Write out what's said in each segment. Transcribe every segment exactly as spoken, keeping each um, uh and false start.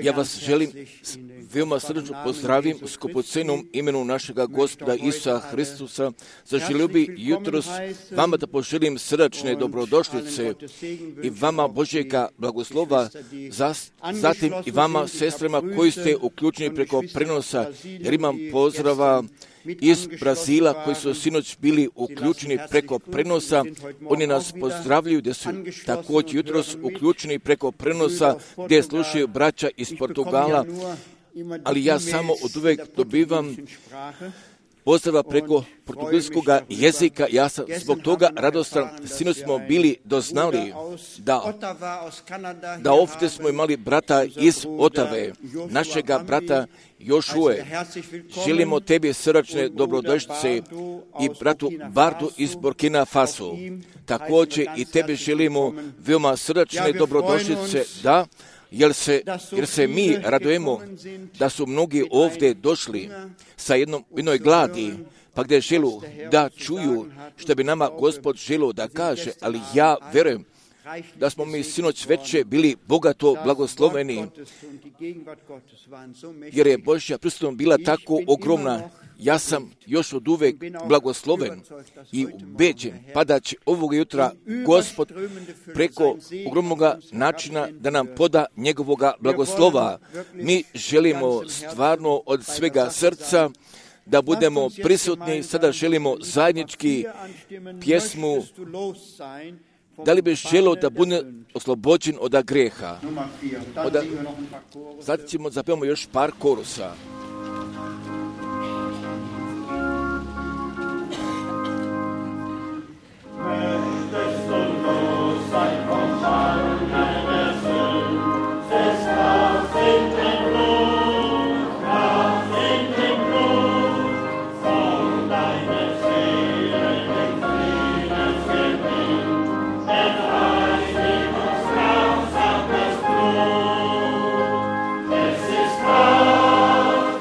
Ja vas želim veoma srdečno pozdravim u skupocenom imenu našega Gospoda Isusa Hristusa. Zaželio bi jutros vama da poželim srdačne dobrodošlice i vama Božjega blagoslova, zatim i vama sestrama koji ste uključeni preko prenosa, jer imam pozdrava iz Brazila koji su sinoć bili uključeni preko prenosa. Oni nas pozdravljaju da su također jutros uključeni preko prenosa gdje slušaju braća iz Portugala, ali ja samo od uvek dobivam pozdrava preko portugalskog jezika. Ja sam zbog toga radostan. Sinoć smo bili doznali da, da ovdje smo imali brata iz Otave, našega brata Jošue. Želimo tebi srdačne dobrodošlice i bratu Bardu iz Burkina Faso. Također i tebi želimo veoma srdačne dobrodošlice, da, jer se, jer se mi radujemo da su mnogi ovdje došli sa jednom, jednoj gladi, pa gdje želu da čuju što bi nama Gospod želio da kaže, ali ja verujem da smo mi sinoć veće bili bogato blagosloveni, jer je Božja prisutnost bila tako ogromna. Ja sam još od uvek blagosloven i ubeđen, pa da će ovog jutra Gospod preko ogromnog načina da nam poda njegovoga blagoslova. Mi želimo stvarno od svega srca da budemo prisutni. Sada želimo zajednički pjesmu Da li bi želio da bude oslobođen od greha? Oda... Sad ćemo zapevamo još par korusa. Es ist Kraft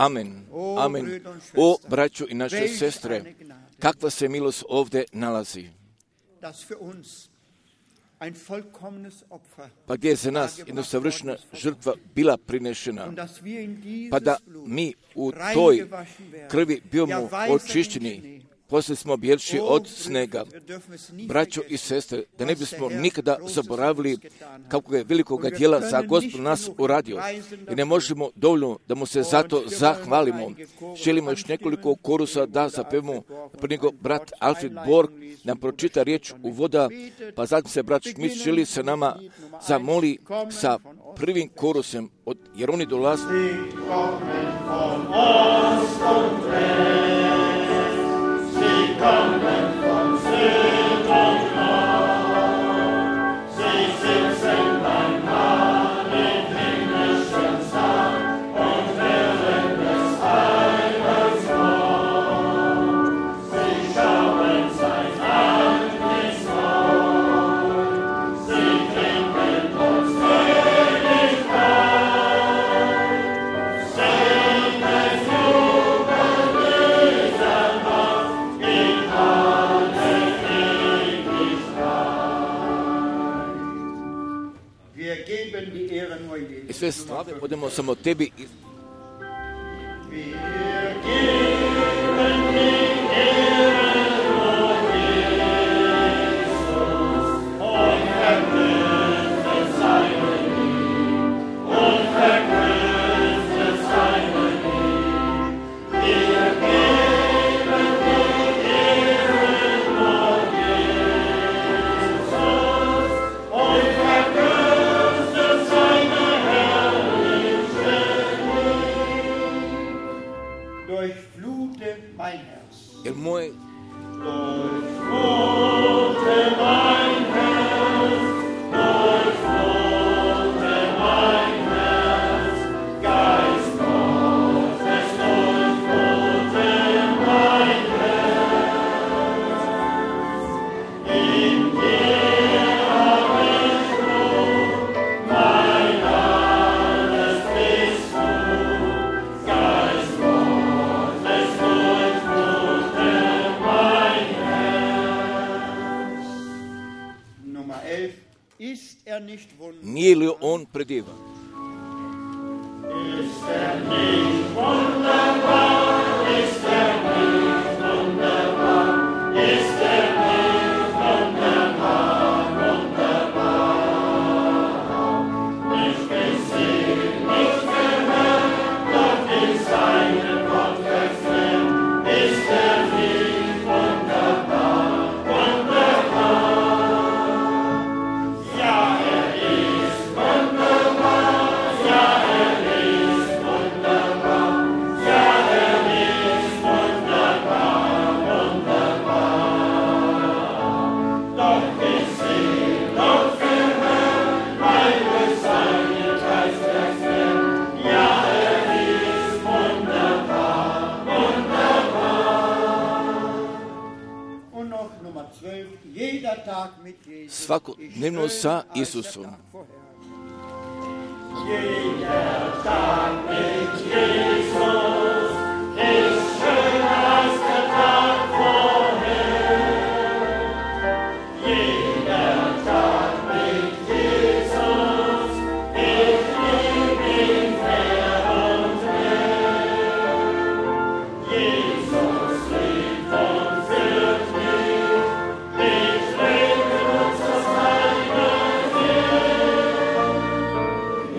Amen. Amen. O, braćo i naše sestre, kakva se milost ovdje nalazi. Pa gdje je za nas jedna savršena žrtva bila prinešena, pa da mi u toj krvi bivamo očišćeni, poslije smo bjelši od snega. Braćo i sestre, da ne bismo nikada zaboravili kako je velikoga djela za Gospod nas uradio i ne možemo dovoljno da mu se zato zahvalimo. Želimo još nekoliko korusa da zapevamo, prije nego brat Alfred Borg nam pročita riječ uvoda, pa zatim se brat Schmidt želi sa nama zamoli sa prvim korusem, od, jer oni dolaze. Kommen von Süd und Nord, sie sitzen beim Mahl im himmlischen Saal und hören des Heils Wort. Sie schauen sein Antlitz neu, sie trinken uns König ein, singet Jubel dieser Nacht. I sve slave odemo samo tebi. Jer moj nije li on predivan? Ist er nicht wunderbar? Ist er nicht wunderbar? Ist er nicht wunderbar? Wunderbar. Nicht gesehen, nicht gehört, doch in seinem Wort verklärt. Ist er nicht wunderbar? Wunderbar. Ja, er ist wunderbar. Ja, er ist wunderbar. Ja, er ist wunderbar. Wunderbar. Doch gesehen, doch gehört, weil durch seinen Geist erklärt. Ja, er ist wunderbar. Wunderbar. Und noch Nummer zwölf, jeder Tag mit Jesus. Svakodnevno sa Isusom. Jeder Tag mit Jesus ist schöner als der Tag vorher. Jeder Tag mit Jesus, ich lieb ihn mehr und mehr. Jesus liebt und führt mich, ich lebe uns das Heile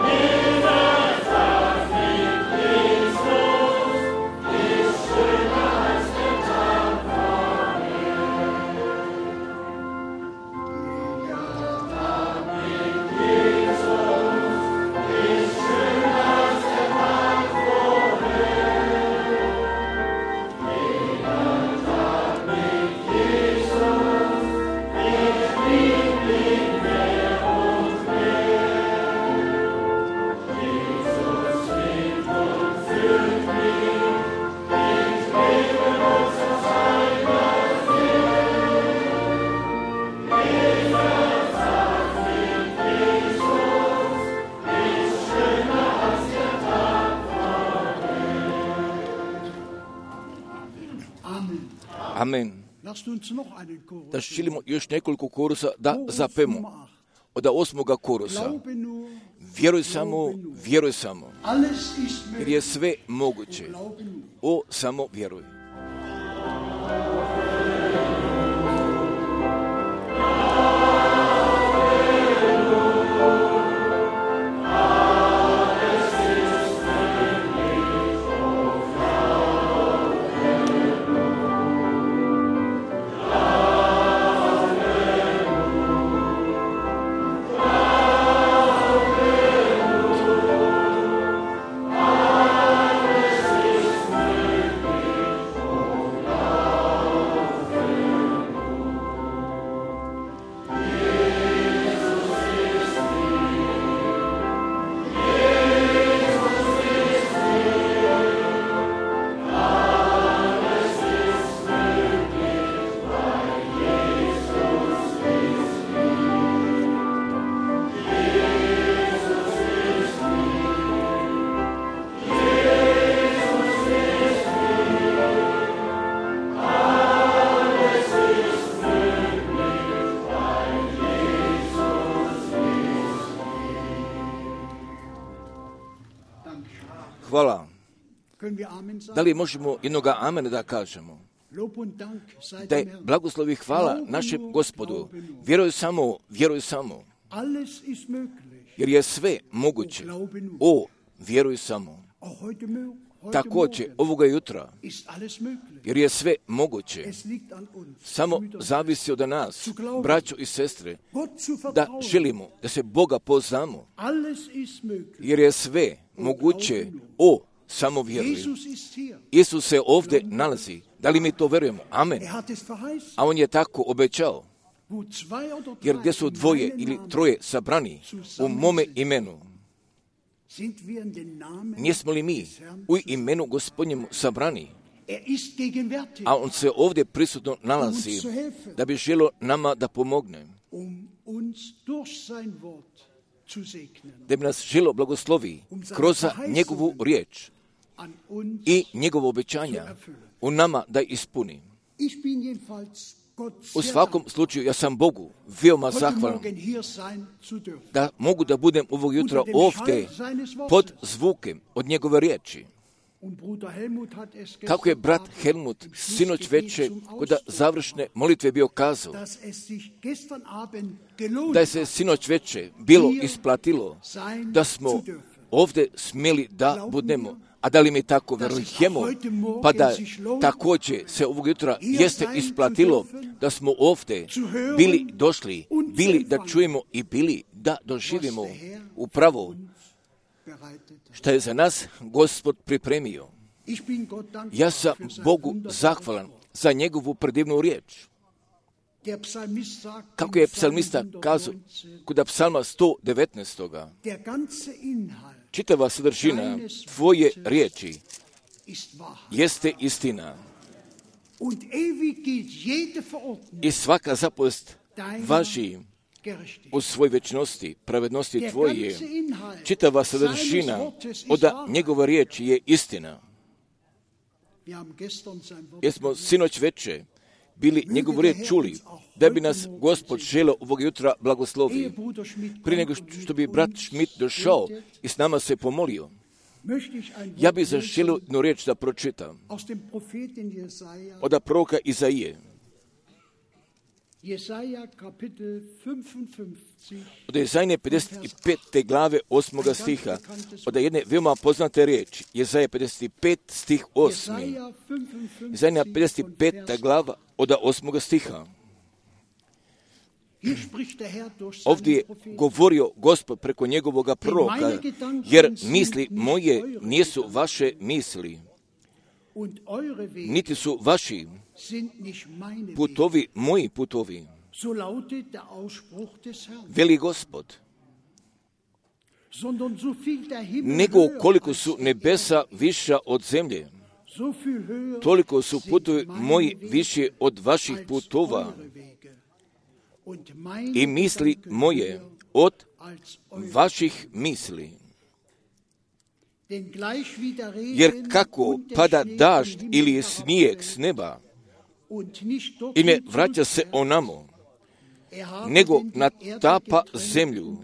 Jeder Tag mit Jesus da želimo još nekoliko korusa da zapemo. Od osmoga korusa. Vjeruj samo, vjeruj samo. Jer je sve moguće. O, samo vjeruj. Hvala. Da li možemo jednoga amena da kažemo? Da je blagoslov i hvala našem Gospodu. Vjeruj samo, vjeruj samo. Jer je sve moguće. O, vjeruj samo. Također ovoga jutra. Jer je sve moguće. Samo zavisi od nas, braćo i sestre, da želimo da se Boga poznamo. Jer je sve moguće. O, samo vjeruj. Isus se ovdje nalazi. Da li mi to verujemo? Amen. A on je tako obećao. Jer gdje su dvoje ili troje sabrani u mome imenu, nismo li mi u imenu Gospodnjemu sabrani? A on se ovdje prisutno nalazi da bi želio nama da pomogne. Da bi nas želio blagoslovi kroz njegovu riječ i njegovo obećanja u nama da ispuni. U svakom slučaju ja sam Bogu veoma zahvalan da mogu da budem ovog jutra ovdje pod zvukem od njegove riječi. Kako je brat Helmut sinoć veče kod završne molitve bio kazao, da je se sinoć veče bilo isplatilo da smo ovdje smjeli da budemo. A da li mi tako verujemo, pa da također se ovog jutra jeste isplatilo da smo ovdje bili došli, bili da čujemo i bili da doživimo upravo što je za nas Gospod pripremio. Ja sam Bogu zahvalan za njegovu predivnu riječ. Kako je psalmista kazao kod psalma sto devetnaest. Čitava sadržina tvoje riječi jeste istina. I svaka zapovijest važi u svoj večnosti, pravednosti tvoje. Čitava sadržina od njegove riječi je istina. Jer smo sinoć veče bili njegovu riječ čuli, da bi nas Gospod želio ovog jutra blagoslovi. Prije nego što bi brat Schmidt došao i s nama se pomolio, ja bih zaželio jednu riječ da pročitam od proroka Izaije. Od Jezajne pedeset pete glave osmoga stiha, od jedne veoma poznate riječi, Jezaja pedeset pet stih osmi. Jezajna pedeset peta glava od osmoga stiha. Ovdje je govorio Gospod preko njegovoga proroka, jer misli moje nisu vaše misli, niti su vaši putovi moji putovi, veli Gospod. Nego koliko su nebesa viša od zemlje, toliko su putovi moji više od vaših putova i misli moje od vaših misli. Jer kako pada dažd ili snijeg s neba i ne vraća se onamo, nego natapa zemlju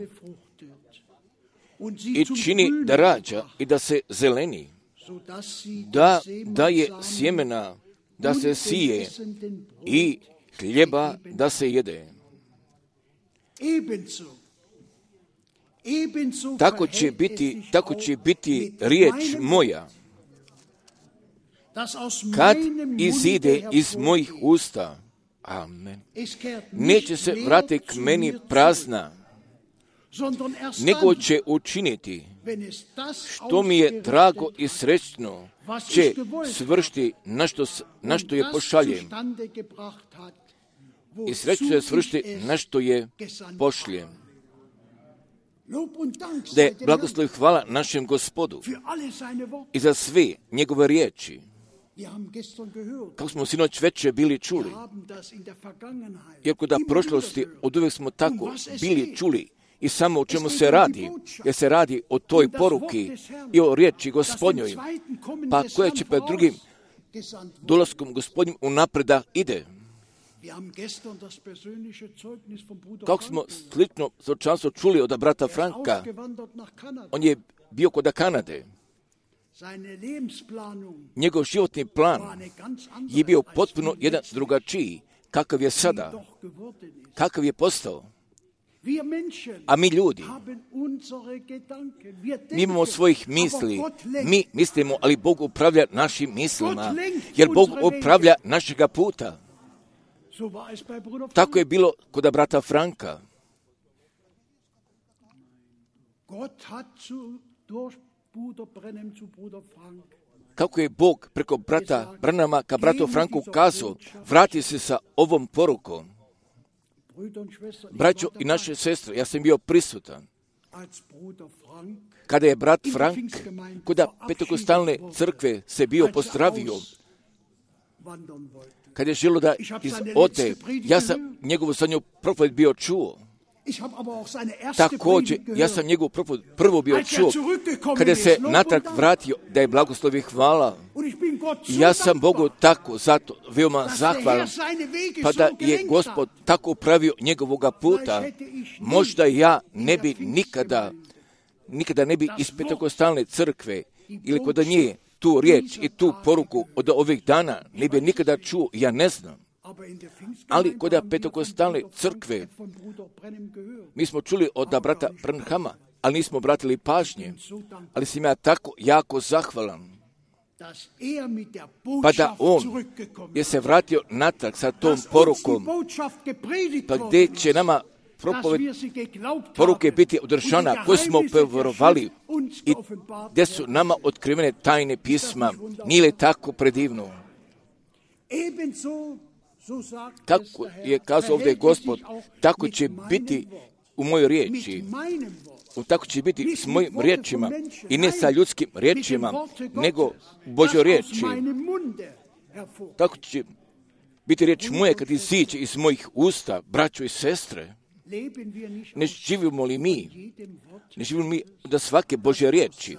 i čini da rađa i da se zeleni, da daje sjemena, da se sije i hljeba da se jede. Tako će biti, tako će biti riječ moja, kad izide iz mojih usta. Amen. Neće se vratiti k meni prazna, nego će učiniti što mi je drago i srećno, će svršiti na što, na što je pošaljem. I srećno će svršiti na što je pošljem. Da je blagoslov i hvala našem Gospodu i za sve njegove riječi. Kako smo sinoć večer bili čuli, iako da prošlosti od uvijek smo tako bili čuli i samo o čemu se radi, jer se radi o toj poruki i o riječi Gospodnjoj, pa koja će pred drugim dolaskom Gospodnjim unapreda ide. Kako smo slično svjedočanstvo čuli od brata Franka, on je bio kod Kanade. Njegov životni plan je bio potpuno jedan drugačiji, kakav je sada, kakav je postao. A mi ljudi, mi imamo svojih misli, mi mislimo, ali Bog upravlja našim mislima, jer Bog upravlja našega puta. Tako je bilo kod brata Franka. Kako je Bog preko brata Branhama ka bratu Franku kazao, vrati se sa ovom porukom. Braćo i naše sestre, ja sam bio prisutan kada je brat Frank kod Pentekostalne crkve se bio pozdravio, kad je želio da ode, ja sam njegovu zadnju propoved bio čuo. Također, ja sam njegovu propoved prvo bio čuo, kada se natrag vratio, da je blagoslov i hvala. Ja sam Bogu tako zato veoma zahvalan, pa da je Gospod tako pravio njegovoga puta. Možda ja ne bi nikada, nikada ne bi iz Pentekostalne crkve ili kod nje tu riječ i tu poruku od ovih dana ne bi nikada čuo, ja ne znam. Ali kod Pentekostalne crkve mi smo čuli od brata Branhama, ali nismo obratili pažnje, ali sam ja tako jako zahvalan, pa da on je se vratio natrag sa tom porukom, pa gdje će nama propoved poruke biti održana, koje smo povjerovali i gdje su nama otkrivene tajne pisma. Nije li tako predivno? Kako je kazao ovdje Gospod, tako će biti u mojoj riječi. Tako će biti s mojim riječima i ne sa ljudskim riječima, nego u Božoj riječi. Tako će biti riječ moje kad iziđe iz mojih usta, braćo i sestre. Ne živimo li mi, ne živimo mi da svake Božje riječi,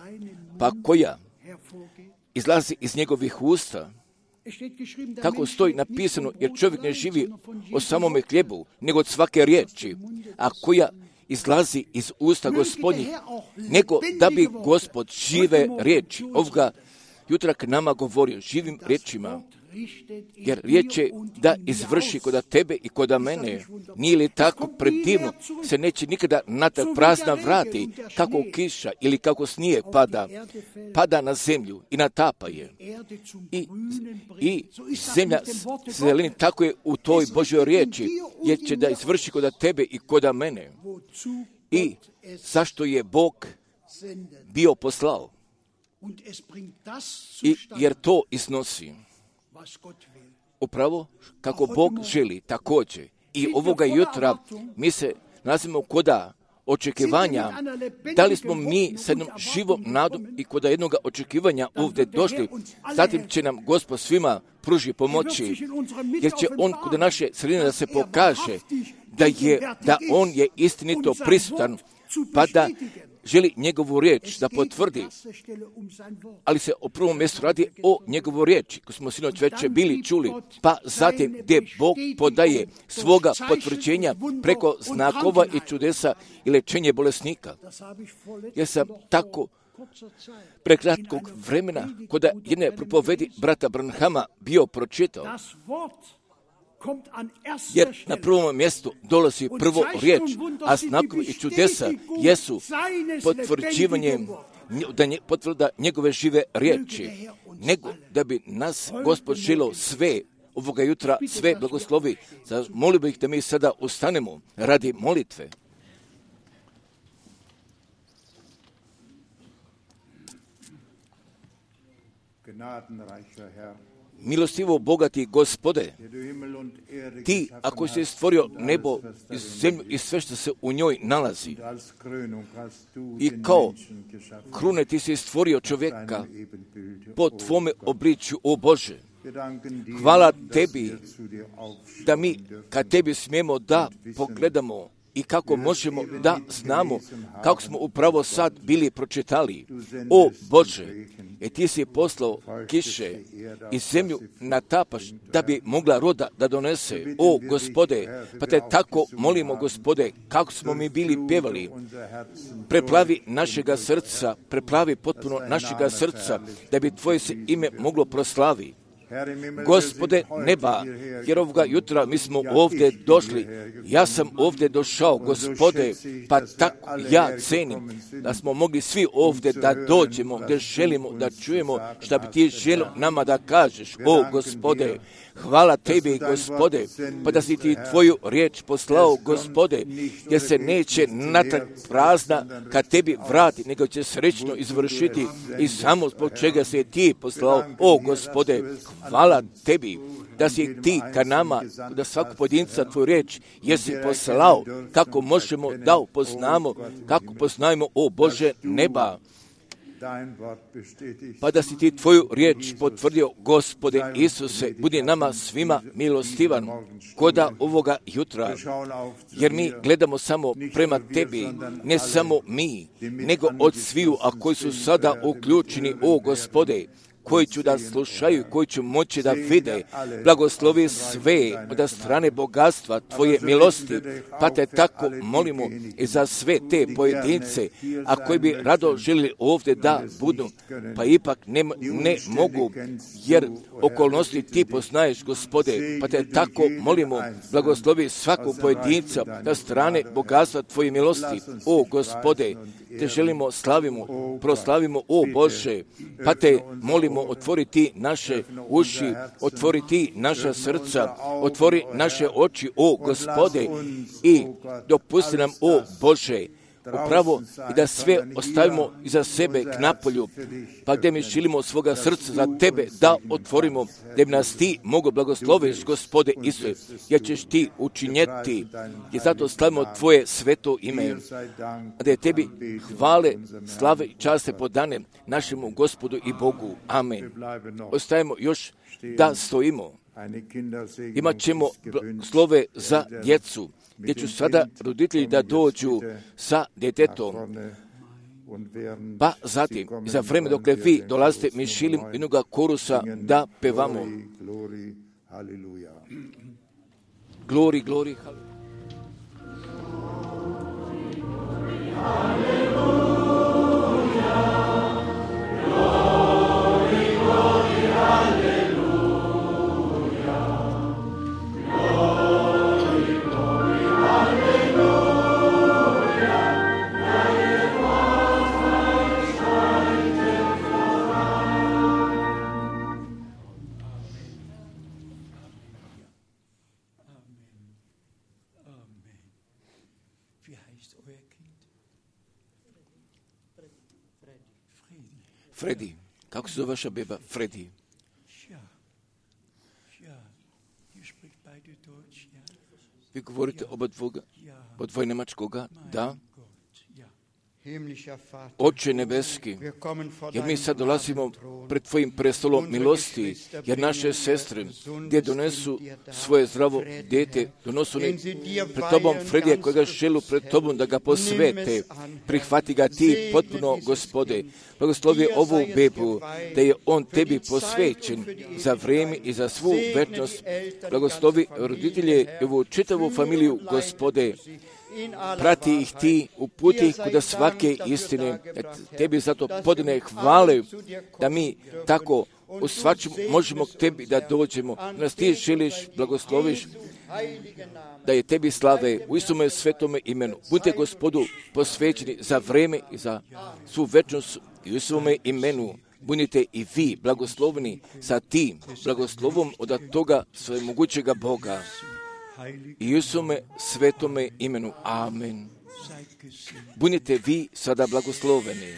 pa koja izlazi iz njegovih usta, kako stoji napisano, jer čovjek ne živi o samome hljebu, nego od svake riječi, a koja izlazi iz usta Gospodnjih, nego da bi Gospod žive riječi ovoga jutra k nama govorio živim riječima, jer riječ je da izvrši kod tebe i kod mene. Nije li tako predivno, se neće nikada natrag prazna vrati, kako kiša ili kako snijeg pada, pada na zemlju i natapa je. I, i zemlja zeleni, tako je u toj Božoj riječi, jer će da izvrši kod tebe i kod mene. I zašto je Bog bio poslao? I jer to iznosi upravo kako Bog želi također. I ovoga jutra mi se nalazimo koda očekivanja. Da li smo mi sa jednom živom nadom i koda jednog očekivanja ovdje došli, zatim će nam Gospod svima pruži pomoći, jer će On kod naše sredine da se pokaže da, je, da On je istinito prisutan, pa da želi njegovu riječ da potvrdi, ali se o prvom mjestu radi o njegovu riječi, koju smo sinoć već bili čuli, pa zatim gdje Bog podaje svoga potvrđenja preko znakova i čudesa i lečenje bolesnika. Ja sam tako prekratkog vremena kod jedne propovedi brata Branhama bio pročitao, jer na prvom mjestu dolazi prvo riječ, a znakovi i čudesa jesu potvrđivanje da nje, potvrda njegove žive riječi, nego da bi nas Gospod želio sve ovoga jutra, sve blagoslovi. Molio bih da mi sada ustanemo radi molitve. Milostivo bogati Gospode, ti ako si stvorio nebo i zemlju i sve što se u njoj nalazi, i kao krune ti si stvorio čovjeka po tvome obličju, o Bože. Hvala tebi da mi kad tebi smijemo da pogledamo i kako možemo da znamo kako smo upravo sad bili pročitali. O Bože, e ti si poslao kiše i zemlju natapaš da bi mogla roda da donese. O Gospode, pa te tako molimo Gospode, kako smo mi bili pjevali, preplavi našega srca, preplavi potpuno našega srca, da bi tvoje se ime moglo proslavi. Gospode neba, jer ovoga jutra mi smo ovdje došli, ja sam ovdje došao, Gospode, pa tako ja cenim da smo mogli svi ovdje da dođemo, gdje želimo da čujemo šta bi ti želio nama da kažeš. O Gospode, hvala tebi, Gospode, pa da si ti tvoju riječ poslao, Gospode, jer se neće natrag prazna kad tebi vrati, nego će srećno izvršiti i samo zbog čega se ti poslao. O Gospode, hvala tebi da si ti ka nama, da svaku pojedinca tvoju riječ jesi poslao, kako možemo da upoznamo, kako poznajemo, o Bože neba, pa da si ti tvoju riječ potvrdio, Gospode Isuse, budi nama svima milostivan koda ovoga jutra, jer mi gledamo samo prema tebi, ne samo mi, nego od sviju, a koji su sada uključeni, o Gospode, koji ću da slušaju, koji ću moći da vide. Blagoslovi sve od strane bogatstva tvoje milosti, pa te tako molimo i za sve te pojedince, a koji bi rado želili ovdje da budu, pa ipak ne, ne mogu, jer okolnosti ti poznaješ, Gospode, pa te tako molimo, blagoslovi svakog pojedinca na strane bogatstva tvoje milosti, o Gospode, te želimo, slavimo, proslavimo, o Bože, pa te molimo, otvori ti naše uši, otvori ti naša srca, otvori naše oči, o Gospode, i dopusti nam, o Bože, upravo i da sve ostavimo iza sebe k napolju, pa gdje mi želimo svoga srca za tebe da otvorimo, da bi nas ti mogu blagosloviš, Gospode Isuse, jer ćeš ti učinjeti, i zato slavimo tvoje sveto ime, a da je tebi hvale, slave i časte podane našemu Gospodu i Bogu. Amen. Ostajemo još da stojimo. Imat ćemo slove za djecu, gdje ću sada roditelji da dođu sa djetetom, pa zatim, za vreme dok vi dolazite, mi šilim jednoga korusa da pevamo. Glori, glori, haleluja. Fredi, kako se zove vaša beba? Fredi. Vi govorite oba dvoga, od dvoje nemačkoga? Da. Oče nebeski, jer mi sad dolazimo pred Tvojim prestolom milosti, jer naše sestre gdje donesu svoje zdravo dete, donosu ne pred Tobom Fredija kojega želu pred Tobom da ga posvete, prihvati ga Ti potpuno, Gospode. Blagoslovi ovu bebu, da je on Tebi posvećen za vrijeme i za svu večnost. Blagoslovi roditelje i ovu čitavu familiju, Gospode. Prati ih Ti, uputi ih kuda svake istine. Tebi zato podne hvale da mi tako u svačem možemo k Tebi da dođemo. Nas Ti želiš, blagosloviš, da je Tebi slave u Isume svetome imenu. Budite, Gospodu, posvećeni za vrijeme i za svu večnost i u Isume imenu. Budite i vi blagoslovni sa tim blagoslovom od toga svemogućega Boga. I u Isume svetome imenu. Amen. Budite vi sada blagosloveni.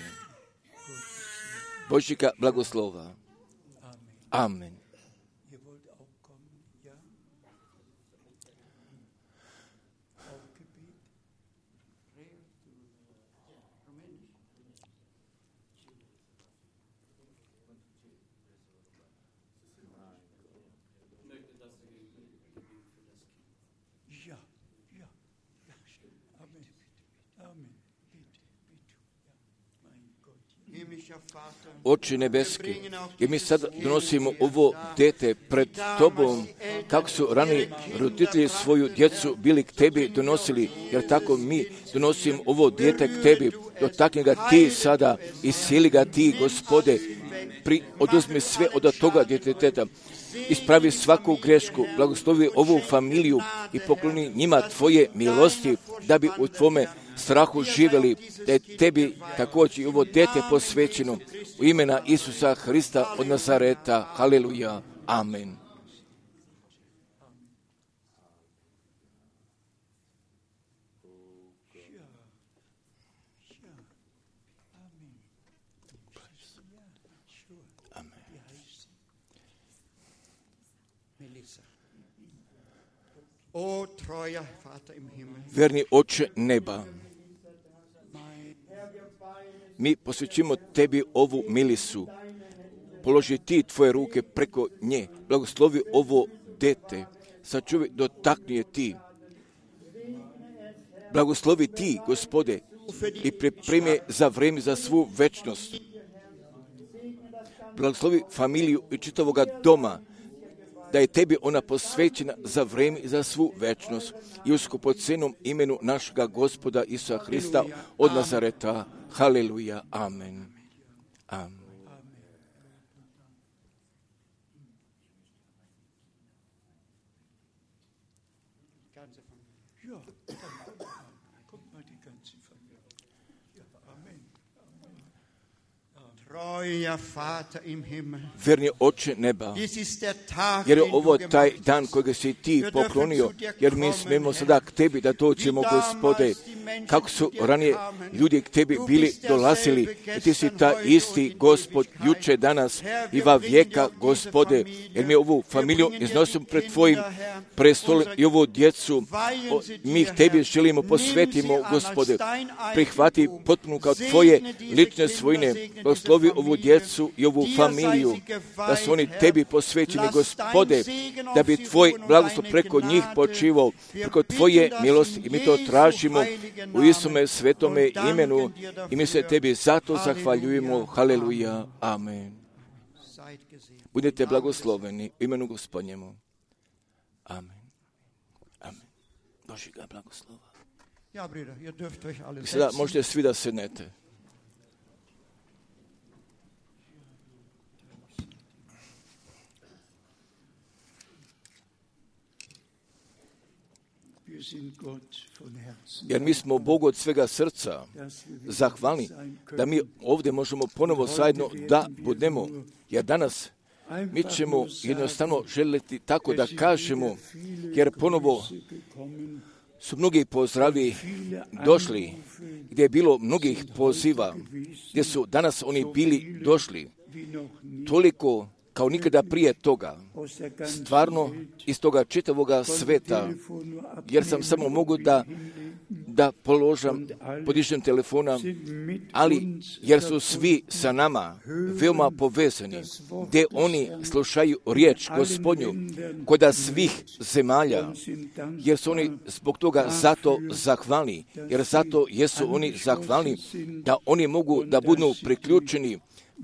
Božjega blagoslova. Amen. Oče nebeski, jer mi sad donosimo ovo dete pred Tobom, kako su rani roditelji svoju djecu bili k Tebi donosili, jer tako mi donosimo ovo dete k Tebi, dotakni ga Ti sada, isili ga Ti, Gospode, pri, oduzmi sve od toga djeteteta, ispravi svaku grešku, blagoslovi ovu familiju i pokloni njima Tvoje milosti, da bi u Tvome strahu živjeli, da je Tebi također i ovo dete posvećeno u imena Isusa Hrista od Nazareta. Haleluja. Amen. Verni Oče neba, mi posvećujemo Tebi ovu milisu. Položi Ti Tvoje ruke preko nje. Blagoslovi ovo dete. Sačuvaj, dotakni je Ti. Blagoslovi Ti, Gospode, i pripremi za vrijeme za svu večnost. Blagoslovi familiju i čitavoga doma, da je Tebi ona posvećena za vrijeme i za svu večnost. I u skupocenom imenu našega Gospoda Isusa Hrista od Nazareta. Haleluja. Amen. Amen. Verni Oče neba, jer je ovo taj dan kojeg si Ti poklonio, jer mi smemo sada k Tebi da dođemo, Gospode, kako su ranije ljudi k Tebi bili dolazili, i Ti si ta isti Gospod, juče, danas i va vijeka, Gospode, jer mi ovu familiju iznosimo pred Tvojim prestolom i ovu djecu, o, mi ih Tebi želimo posvetimo, Gospode, prihvati potpuno kao Tvoje lične svojine, blagoslovi ovu djecu i ovu familiju, da su oni Tebi posvećeni, Gospode, da bi Tvoj blagoslov preko njih počivao, preko Tvoje milosti, i mi to tražimo u Isume svetome imenu i mi se Tebi zato zahvaljujemo. Haleluja. Amen. Budete blagosloveni u imenu Gospodnjemu. Amen. Amen. Božjega blagoslova. I sada možete svi da sednete. Jer mi smo Bogu od svega srca zahvalni da mi ovdje možemo ponovo zajedno da budemo, jer danas mi ćemo jednostavno želiti tako da kažemo, jer ponovo su mnogi pozdravi došli, gdje je bilo mnogih poziva, gdje su danas oni bili došli, toliko kao nikada prije toga, stvarno iz toga čitavoga sveta, jer sam samo mogu da da položam, podižem telefona, ali jer su svi sa nama veoma povezani, gdje oni slušaju riječ Gospodnju kod svih zemalja, jer su oni zbog toga zato zahvalni, jer zato jesu oni zahvalni da oni mogu da budu priključeni,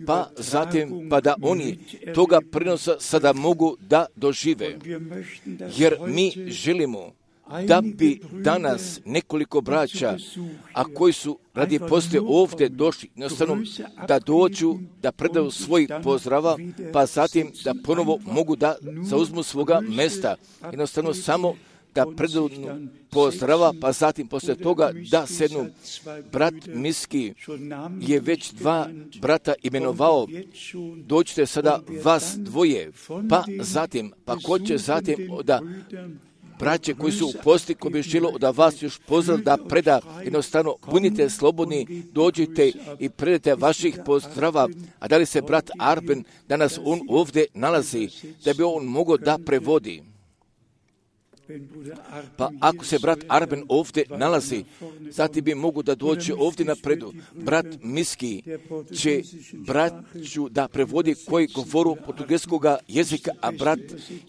pa zatim pa da oni toga prenosa sada mogu da dožive. Jer mi želimo da bi danas nekoliko braća, a koji su radi poslije ovdje došli, jednostavno da dođu, da predaju svoj pozdrava, pa zatim da ponovo mogu da zauzmu svoga mjesta. Jednostavno samo da predaju pozdrava, pa zatim poslije toga da sednu. Brat Miski je već dva brata imenovao, dođite sada vas dvoje, pa zatim, pa ko će zatim da braće koji su u posti, koji bi želo da vas još pozdrav da preda, jednostavno budite slobodni, dođite i predajte vaših pozdrava. A da li se brat Arben danas on ovdje nalazi, da bi on mogao da prevodi? Pa ako se brat Arben ovdje nalazi, zatim bi mogu da dođe ovdje napredu. Brat Miski će braću da prevodi koji govoru portugalskog jezika, a brat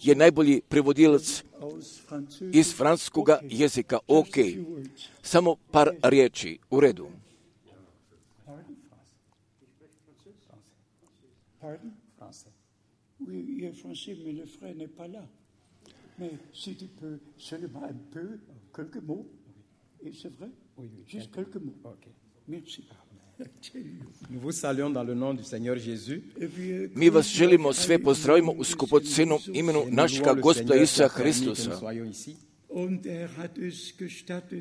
je najbolji prevodilac iz francuskog jezika. Ok, samo par riječi, u redu. Mais si tu peux seulement un peu, quelques mots, et c'est vrai, oui, oui, juste quelques mots. Okay. Merci. Nous vous saluons dans le nom du Seigneur Jésus. Mi vas želimo sve pozdravimo u skupocenom imenu našega Gospoda Isusa Hristusa.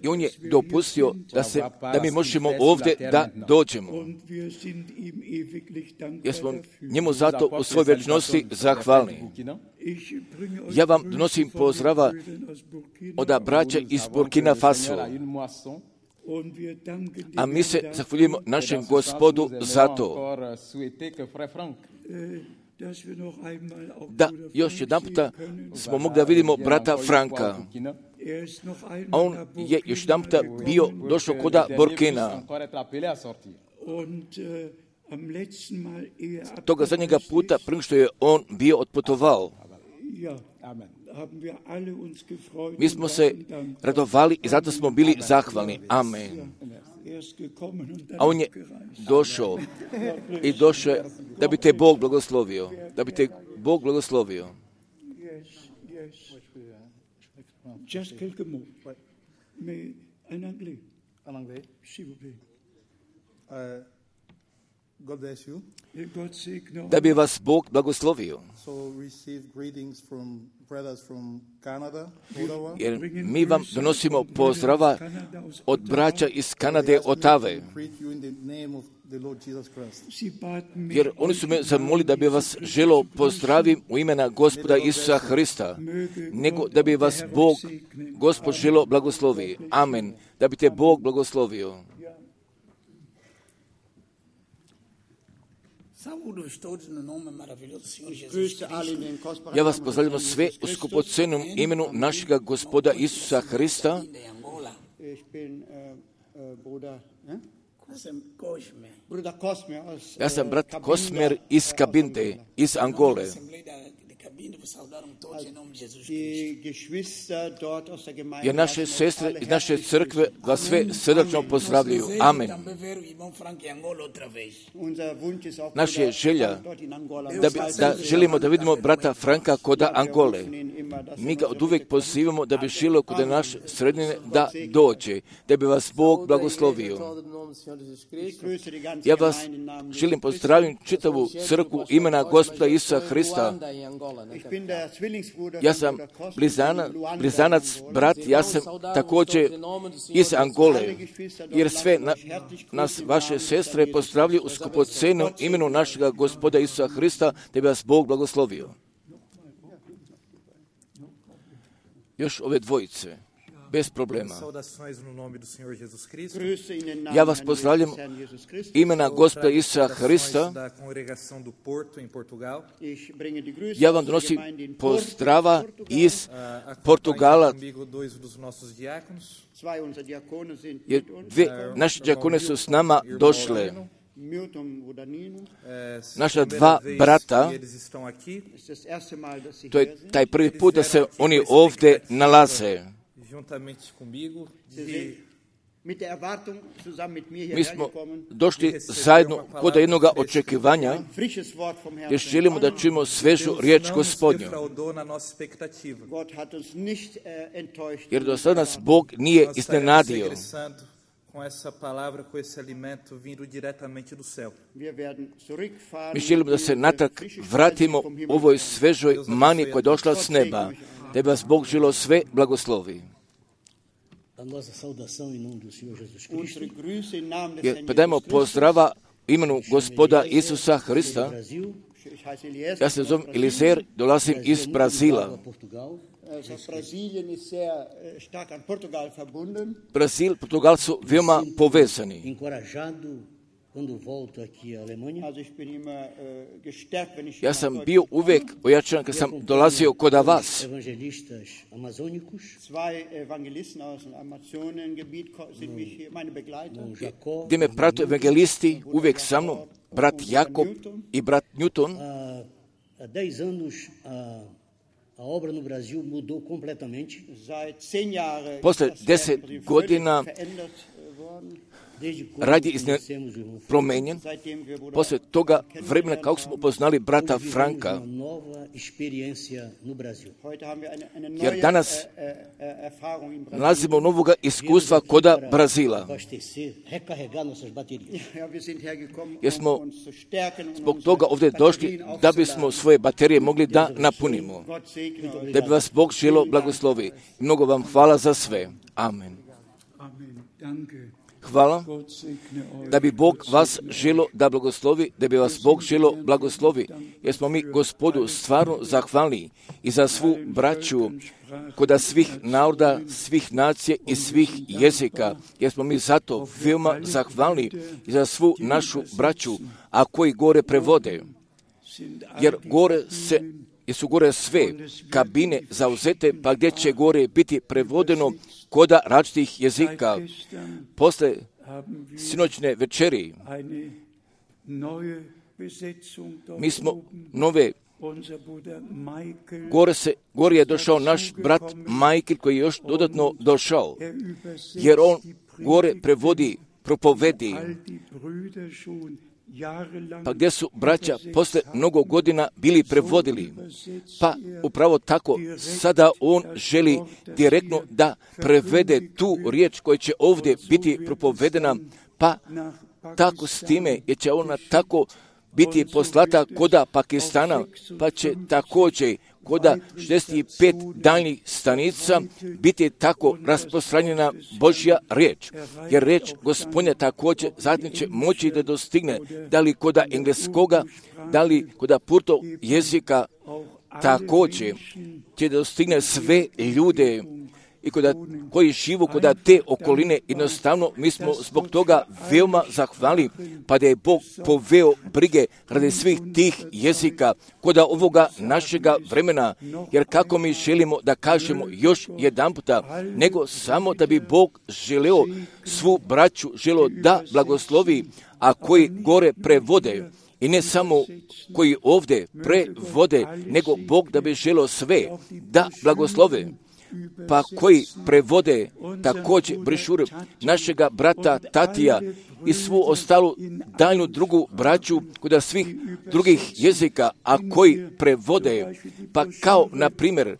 I on je dopustio da, se, da mi možemo ovdje da dođemo. Jer smo njemu zato u svoj večnosti zahvalni. Ja vam donosim pozdrava od braća iz Burkina Faso. A mi se zahvaljujemo našem Gospodu za to. Da, još jedan puta smo mogli da vidimo brata Franka. A on je još jedan puta bio došao koda Burkina. Toga zadnjega puta, prije što je on bio otputovao. Mi smo se radovali i zato smo bili zahvalni. Amen. A on je došao i došao da bi te Bog blagoslovio. Da bi te Bog blagoslovio. Just quelques mots. Mais en anglais. En anglais. S'il vous plaît. Uh, God bless you. Da bi vas Bog blagoslovio. So receive greetings from brothers from Canada, Ottawa. Jer mi vam donosimo pozdrava od braća iz Kanade, Otave. Jer oni su me zamolili da bi vas želio pozdravim u imena Gospoda Isusa Hrista, nego da bi vas Bog, Gospod želio blagoslovi. Amen. Da bi te Bog blagoslovio. Ja vas pozdravljam sve u skupocenom imenu našega Gospoda Isusa Hrista. Ja sam brat Kosmer iz Kabinde, iz Angole. Jer naše sestre iz naše crkve vas sve srdačno pozdravljaju. Amen. Naša je želja da, bi, da želimo da vidimo brata Franka koda Angole. Mi ga od uvijek pozivamo da bi želio kod naše sredine da dođe, da bi vas Bog blagoslovio. Ja vas želim pozdraviti čitavu crkvu imena Gospoda Isusa Hrista. Ja sam blizana, blizanac, brat, ja sam također iz Angole, jer sve na, nas, vaše sestre, pozdravljaju u skupocenom imenu našega Gospoda Isusa Hrista, da bi vas Bog blagoslovio. Još ove dvojice. bez problema. Saudações no nome do Senhor Jesus Cristo. Grüße in den Ja Namen vas eines pozdravljam Herrn Jesus Christus. imena Gospoda Isusa Saudações Hrista. da congregação do Porto em Portugal. Ich bringe die Grüße Ja vam aus der donosim Gemeinde in Porto, pozdrava Portugal. iz Ah, acompanham Portugala, comigo dois dos nossos diáconos. Zwei unserer Diakone sind jer mit uns. dve naše džakone su s nama došle. Milton Vodanino. É, Naša primeira dva vez brata, que eles estão aqui, Es ist das erste Mal, dass Sie to hier je sind. taj prvi put da se oni ovdje nalaze. juntamente comigo, Sie de sind mit der Erwartung zusammen mit mir Mi hierher smo gekommen. došli zajedno kod jednog očekivanja, Ein frisches Wort vom Herrn. jer želimo da čujemo svežu riječ não nos Gospodnju. defraudou na nossa expectativa. Gott hat uns nicht äh, enttäuscht. Jer do sada nas Bog nije Nós estaremos iznenadio. regressando com essa palavra, com esse alimento vindo diretamente do céu. Wir werden zurückfahren. Mi želimo da se in natrag frische vratimo Speise vom Himmel. ovoj svežoj mani koja je došla s neba, da bi vas Bog želo sve blagoslovi. A nossa saudação em nome do Senhor Jesus Cristo. Unsere Grüße im Namen des Jer Herrn predajmo Jesus Christus. pozdrava imenu Gospoda Isusa Hrista. Brasil, Ich heiße Eliezer. Ja se zovem Elizer, dolazim iz Brazila. Portugal. Also Brasilien ist sehr äh, stark an Portugal verbunden. Brazil, Portugal su veoma povezani. Encorajado quando volto aqui à Alemanha. Also ich bin immer äh, gestärkt, wenn ich Ja hier sam nach bio Deutschland uvek ojačan kad sam dolazio kod vas. Evangelistas amazônicos, Zwei Evangelisten aus dem Amazonengebiet ko- sind mich hier, meine Begleiter. com Jacó. Gdje me prate evangelisti uvek sa mnom, brat Jakob i brat Newton. Há, há dez anos a, a obra no Brasil mudou completamente. Seit zehn Jahren Posle ist das deset Werk völlig godina verändert äh, worden. Desde quando rad je izne- conhecemos o irmão promenjen. Seitdem wir Bruder Posle toga vremena kako smo upoznali brata vivemos Franka, uma nova experiência no Brasil. Heute haben wir eine, eine Jer neue danas äh, äh, äh, Erfahrung in Brasilien. nalazimo novoga iskustva koda Para Brazila. abastecer, recarregar nossas baterias. Ja, wir sind hergekommen, Jer smo um uns zu stärken und Zbog unsere toga ovdje došli Batterien da bismo aufzuladen. svoje baterije mogli da napunimo. Gott segne euch. Da bi vas Bog želo blagoslovi. Mnogo vam hvala za sve. Amen. Amen. Danke. Hvala. Gott segne euch. Da bi Bog vas želo da blagoslovi, da bi vas Bog želo blagoslovi, jer smo mi Gospodu stvarno zahvalni i za svu braću koda svih naroda, svih nacija i svih jezika, jer smo mi zato veoma zahvalni i za svu našu braću, a koji gore prevode, jer gore se jer su gore sve kabine zauzete, pa gdje će gore biti prevodeno koda različitih jezika. Posle sinoćne večeri Eine neue Besetzung dort mi smo oben. nove, Unser Bruder Michael, gore, se, gore je došao naš brat Michael koji je još dodatno došao, er übersetzt jer on die gore Predigt, prevodí, propovedi, all die Brüder schon jahrelang pa gdje su braća posle mnogo godina bili prevodili. Pa upravo tako, sada on želi direktno da prevede tu riječ koja će ovdje biti propovedena, pa tako s time, jer će ona tako biti poslata koda Pakistana, pa će također koda šezdeset pet daljnjih stanica biti tako rasprostranjena Božja riječ. Jer riječ Gospodnja također zatim će moći da dostigne, da li koda engleskoga, da li koda purto jezika, također će da dostigne sve ljude i koda, koji živu koda te okoline. Jednostavno, mi smo zbog toga veoma zahvalni, pa da je Bog poveo brige radi svih tih jezika koda ovoga našega vremena, jer kako mi želimo da kažemo još jedan puta, nego samo da bi Bog želeo svu braću, želeo da blagoslovi, a koji gore prevode, i ne samo koji ovdje prevode, nego Bog da bi želeo sve da blagoslove, pa koji prevode također brišuru našega brata Tatija i svu ostalu daljnu drugu braću kod svih drugih jezika, a koji prevode, pa kao na primjer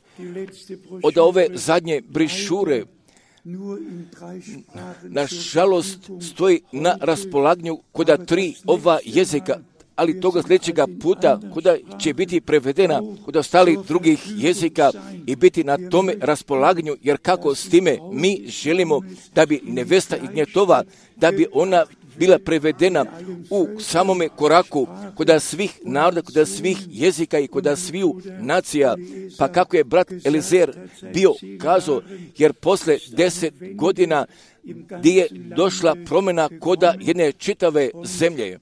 od ove zadnje brišure nažalost stoji na raspolaganju kod tri ova jezika, ali toga sljedećega puta kuda će biti prevedena kod ostalih drugih jezika i biti na tome raspolaganju, jer kako s time mi želimo da bi nevesta Ignjetova, da bi ona bila prevedena u samome koraku kod svih naroda, kod svih jezika i kod sviju nacija, pa kako je brat Elizer bio kazao, jer posle deset godina gdje je došla promjena koda jedne čitave zemlje.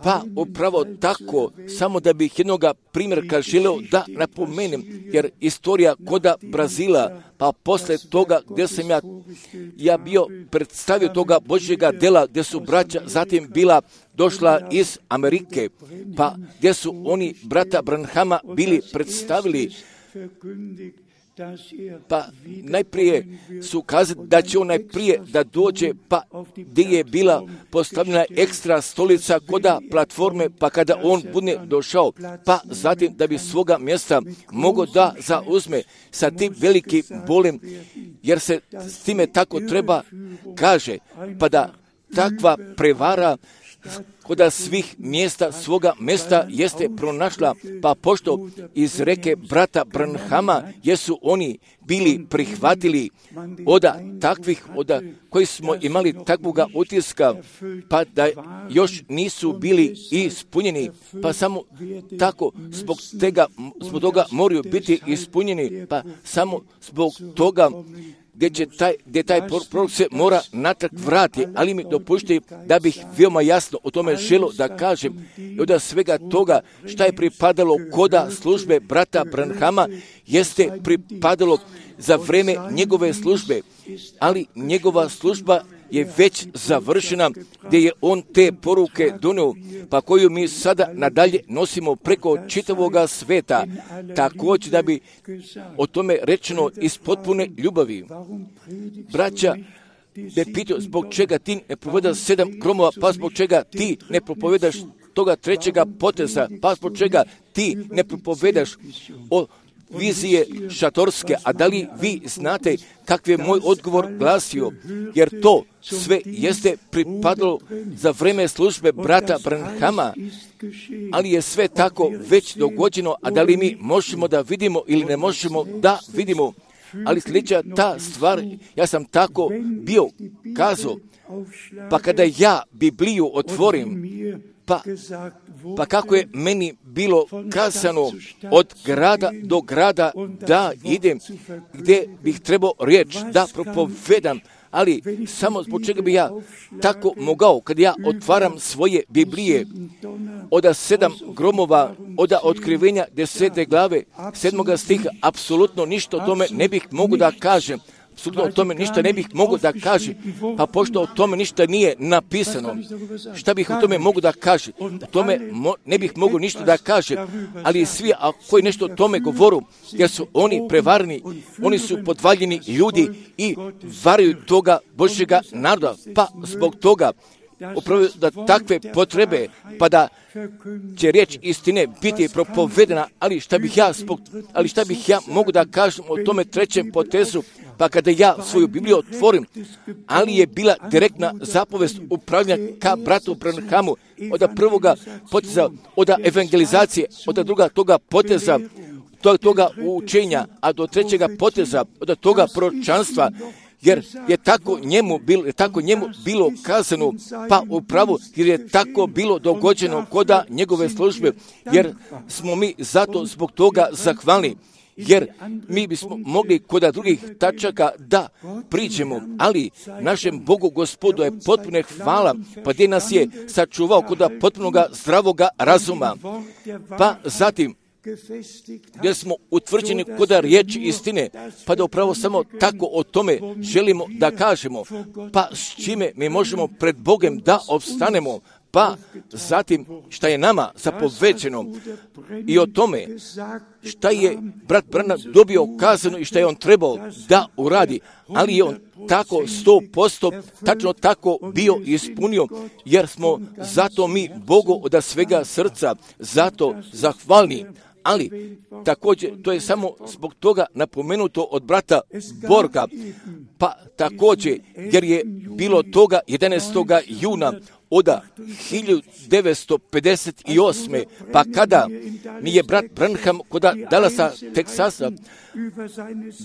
Pa upravo tako, samo da bih jednoga primjerka želeo da napomenem, jer istorija koda Brazila, pa posle toga gdje sam ja, ja bio predstavio toga Božjega dela, gdje su braća zatim bila došla iz Amerike, pa gdje su oni brata Branhama bili predstavili, pa najprije su kazali da će on najprije da dođe, pa gdje je bila postavljena ekstra stolica koda platforme, pa kada on bude došao, pa zatim da bi svoga mjesta mogao da zauzme sa tim velikim bolem, jer se s time tako treba kaže, pa da takva prevara koda svih mjesta svoga mjesta jeste pronašla, pa pošto iz reke brata Branhama jesu oni bili prihvatili oda takvih, oda koji smo imali takvoga utiska, pa da još nisu bili ispunjeni, pa samo tako zbog tega, zbog toga moraju biti ispunjeni, pa samo zbog toga gdje će taj, gdje taj prorok se mora natrag vratiti, ali mi dopušti da bih veoma jasno o tome želio da kažem i od svega toga šta je pripadalo koda službe brata Branhama jeste pripadalo za vreme njegove službe, ali njegova služba je već završena, gdje je on te poruke donio, pa koju mi sada nadalje nosimo preko čitavoga sveta, također da bi o tome rečeno iz potpune ljubavi. Braća, te pitao zbog čega ti ne propovedaš sedam gromova, pa zbog čega ti ne propovedaš toga trećega poteza, pa zbog čega ti ne propovedaš o vizije šatorske, a da li vi znate kakvi je moj odgovor glasio, jer to sve jeste pripadalo za vreme službe brata Branhama, ali je sve tako već dogođeno, a da li mi možemo da vidimo ili ne možemo da vidimo, ali sljedeća ta stvar, ja sam tako bio kazao, pa kada ja Bibliju otvorim, pa, pa kako je meni bilo kazano od grada do grada da idem, gdje bih trebao riječ da propovedam, ali samo zbog čega bi ja tako mogao, kad ja otvaram svoje Biblije, od sedam gromova, od otkrivenja desete glave, sedmoga stiha, apsolutno ništa o tome ne bih mogu da kažem. Apsolutno o tome ništa ne bih mogu da kažem, pa pošto o tome ništa nije napisano, šta bih o tome mogu da kažem? O tome mo, ne bih mogu ništa da kažem, ali svi a koji nešto o tome govoru, jer su oni prevarni, oni su podvaljeni ljudi i varaju toga Božjega naroda, pa zbog toga upravo da takve potrebe, pa da će riječ istine biti propovedena, ali šta bih ja zbog, ali šta bih ja mogu da kažem o tome trećem potezu, pa kada ja svoju Bibliju otvorim, ali je bila direktna zapovest upravljanja ka bratu Branhamu, od prvoga poteza, od evangelizacije, od druga toga poteza, od toga učenja, a do trećega poteza, od toga proročanstva, jer je tako njemu bilo, je tako njemu bilo kazano, pa upravo jer je tako bilo dogođeno koda njegove službe, jer smo mi zato zbog toga zahvalni, jer mi bismo mogli kod drugih tačaka da priđemo, ali našem Bogu Gospodu je potpuno hvala, pa gdje nas je sačuvao kod potpunoga zdravoga razuma, pa zatim gdje smo utvrđeni kod riječi istine, pa da upravo samo tako o tome želimo da kažemo, pa s čime mi možemo pred Bogom da opstanemo, pa zatim šta je nama zapovećeno i o tome šta je brat Branham dobio kazano i šta je on trebao da uradi, ali je on tako sto posto tačno tako bio ispunio, jer smo zato mi Bogu od svega srca zato zahvalni. Ali također to je samo zbog toga napomenuto od brata Borga, pa također jer je bilo toga jedanaestog juna od hiljadu devetsto pedeset osme pa kada mi je brat Branham kod Dallasa, Teksasa,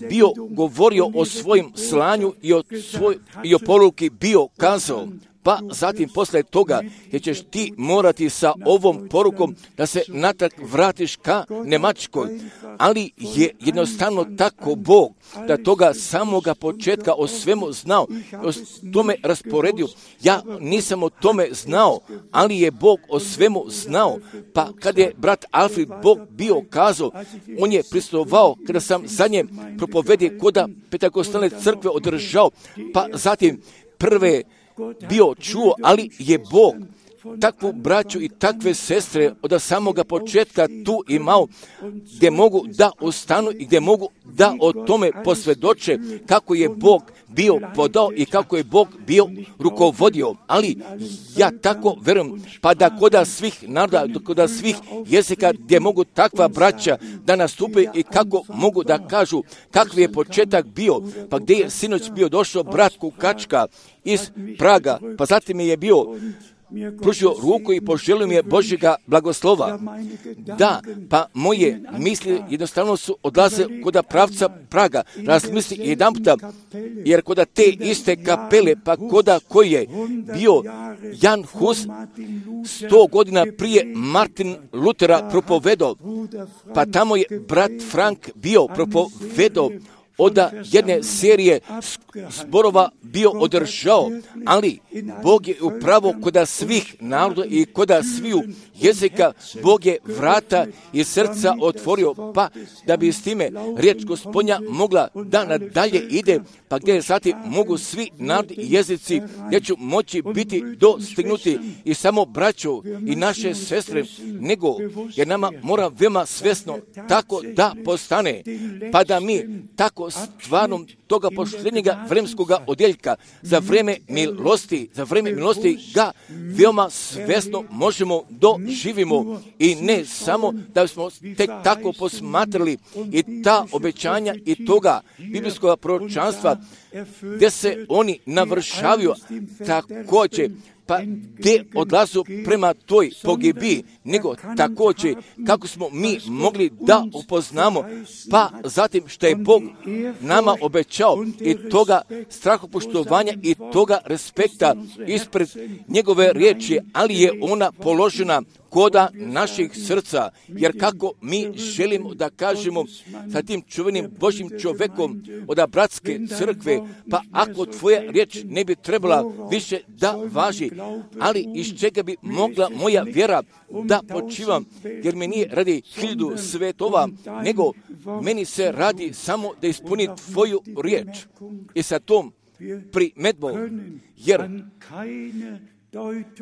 bio govorio o svojim slanju i o, svoj, i o poruki bio kazao, pa zatim posle toga, jer ćeš ti morati sa ovom porukom da se natrag vratiš ka Njemačkoj, ali je jednostavno tako Bog, da toga samoga početka o svemu znao, o tome rasporedio. Ja nisam o tome znao, ali je Bog o svemu znao, pa kad je brat Alfred Bog bio kazao, on je prisustvovao kada sam zadnje propovedje koda Pentekostalne crkve održao, pa zatim prve bio čuo, ali je Bog takvu braću i takve sestre od samoga početka tu imao, gdje mogu da ostanu i gdje mogu da o tome posvjedoče kako je Bog bio podao i kako je Bog bio rukovodio. Ali ja tako verujem, pa da koda svih naroda, koda svih jezika gdje mogu takva braća da nastupe i kako mogu da kažu kakvi je početak bio, pa gdje je sinoć bio došao brat Kukačka iz Praga, pa zatim je bio pružio ruku i poželio mi je Božjega blagoslova. Da, pa moje misli jednostavno su odlaze kod pravca Praga. Razmisli jedan puta, jer kod te iste kapele, pa kod koji je bio Jan Hus sto godina prije Martin Lutera propovedao, pa tamo je brat Frank bio propovedao, od jedne serije zborova bio održao, ali Bog je upravo kod svih naroda i kod sviju jezika, Bog je vrata i srca otvorio, pa da bi s time riječ Gospodnja mogla da nadalje ide, pa gdje zatim mogu svi narodi i jezici, gdje ću moći biti dostignuti i samo braćo i naše sestre, nego jer nama mora veoma svjesno tako da postane, pa da mi tako stvarnom toga posljednjega vremenskoga odjeljka za vrijeme milosti, za vrijeme milosti ga veoma svjesno možemo doživimo i ne samo da smo tek tako posmatrali i ta obećanja i toga biblijskog proročanstva gdje se oni navršavaju također, pa gdje odlazu prema toj pogibi, nego također kako smo mi mogli da upoznamo, pa zatim što je Bog nama obećao i toga strahopoštovanja i toga respekta ispred njegove riječi, ali je ona položena koda naših srca, jer kako mi želimo da kažemo sa tim čuvenim Božjim čovjekom od bratske crkve, pa ako tvoja riječ ne bi trebala više da važi, ali iz čega bi mogla moja vjera da počivam, jer mi nije radi hiljadu svetova, nego meni se radi samo da ispuni tvoju riječ i sa tom primedbom, jer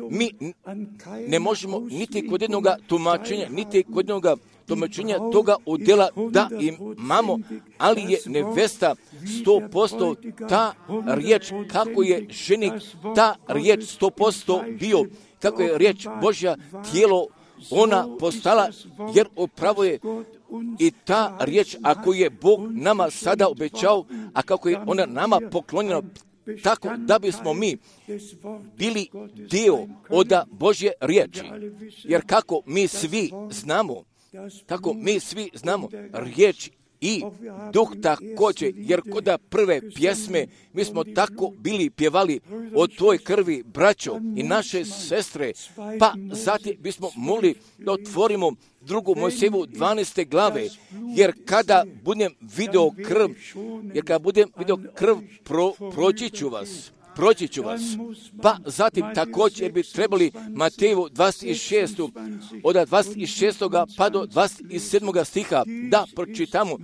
mi ne možemo niti kod jednog tumačenja, niti kod jednog tumačenja toga udjela da imamo, ali je nevesta sto posto ta riječ, kako je ženik ta riječ sto posto bio, kako je riječ Božja tijelo ona postala, jer upravo je i ta riječ, ako je Bog nama sada obećao, a kako je ona nama poklonjena, tako da bismo mi bili dio od Božje riječi. Jer kako mi svi znamo, kako mi svi znamo, riječ i duh također, jer kod prve pjesme mi smo tako bili pjevali o toj krvi, braćo i naše sestre, pa zatim bismo mogli da otvorimo drugu Mojsijevu dvanaeste glave, jer kada budem video krv, jer kada budem video krv, pro, proći ću vas. Proći ću vas. Pa zatim također bi trebali Mateju dvadeset šest od dvadeset šestog pa do dvadeset sedmog stiha da pročitamo,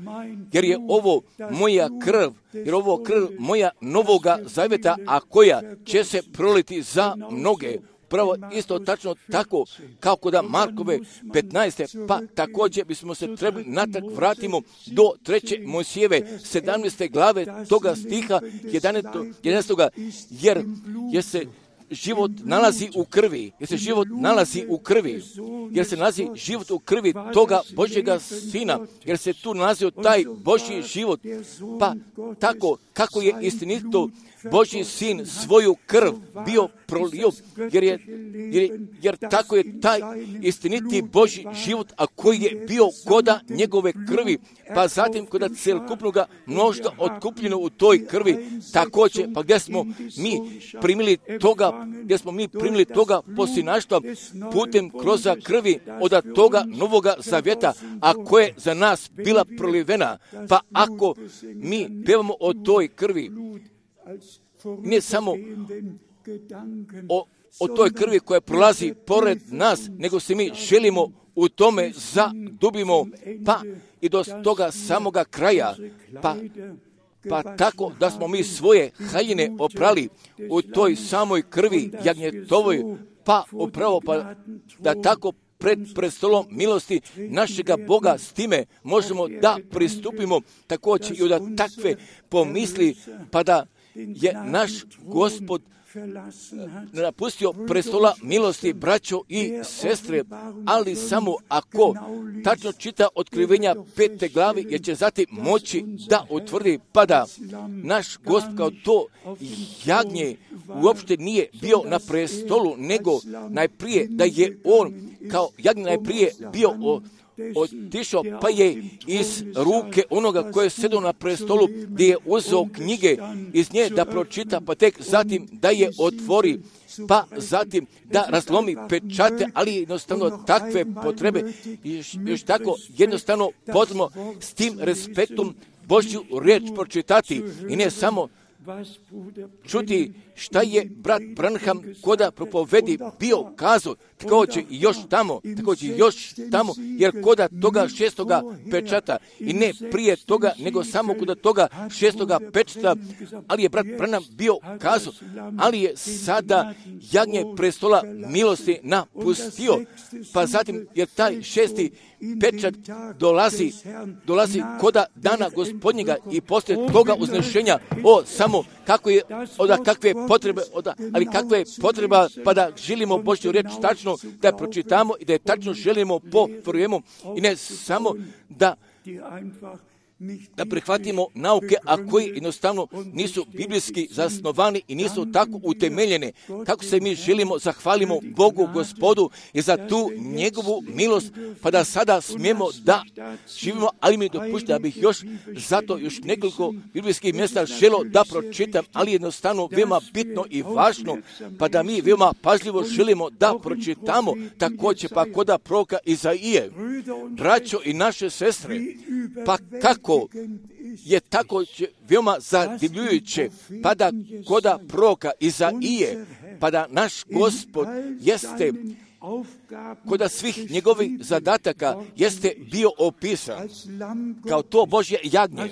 jer je ovo moja krv, jer ovo krv moja novoga zavjeta, a koja će se proliti za mnoge. Pravo isto tačno tako kao kod Markove petnaeste, pa također bismo se trebali natrag vratimo do treće Mojsijeve sedamnaeste glave toga stiha jedanaestog jer je se život nalazi u krvi, jer se život nalazi u krvi, jer se nalazi život u krvi toga Božjega Sina, jer se tu nalazio taj Božji život, pa tako kako je istinito Božji Sin svoju krv bio prolio, jer, je, jer, jer tako je taj istiniti Božji život, a koji je bio koda njegove krvi, pa zatim koda celokupnoga mnoštva otkupljeno u toj krvi, također, pa gdje smo mi primili toga gdje smo mi primili toga posinaštva putem kroz krvi od toga novoga zavjeta, a koja je za nas bila prolivena. Pa ako mi pevamo o toj krvi, ne samo o, o toj krvi koja prolazi pored nas, nego se mi želimo u tome zadubimo, pa i do toga samoga kraja, pa, pa tako da smo mi svoje haljine oprali u toj samoj krvi jagnjetovoj, pa upravo pa da tako pred prestolom milosti našega Boga s time možemo da pristupimo također i od takve pomisli, pa da je naš Gospod napustio prestola milosti, braćo i sestre, ali samo ako tačno čita otkrivenja pete glavi, jer će zatim moći da utvrdi, pa da naš Gospod kao to jagnje uopšte nije bio na prestolu, nego najprije da je on kao jagnje najprije bio o otišao, pa je iz ruke onoga koje je sedao na prestolu, gdje je uzeo knjige iz nje da pročita, pa tek zatim da je otvori, pa zatim da razlomi pečate, ali jednostavno takve potrebe, još, još tako jednostavno potrebno s tim respektom Božju riječ pročitati i ne samo čuti šta je brat Branham koda propovedi bio kazao, također još tamo, također još tamo, jer koda toga šestoga pečata i ne prije toga, nego samo koda toga šestoga pečata, ali je brat Branham bio kazao, ali je sada jagnje prestola milosti napustio, pa zatim jer taj šesti pečat dolazi, dolazi koda dana Gospodnjega i poslije toga uznešenja, o samo kako je, oda kakve potrebe, oda, ali kakva je potreba pa da želimo Božju riječ tačno da je pročitamo i da je tačno želimo povjerujemo i ne samo da da prihvatimo nauke, a koji jednostavno nisu biblijski zasnovani i nisu tako utemeljene. Kako se mi želimo, zahvalimo Bogu Gospodu i za tu njegovu milost, pa da sada smijemo da živimo, ali mi dopušta da bih još zato još nekoliko biblijskih mjesta želo da pročitam, ali jednostavno veoma bitno i važno, pa da mi veoma pažljivo želimo da pročitamo također pa koda proroka Izaije. Braćo i naše sestre, pa kako je tako veoma zadivljujuće, pa da koda proroka Izaije, pa da naš Gospod jeste koda svih njegovih zadataka jeste bio opisan kao to Božje jagnje,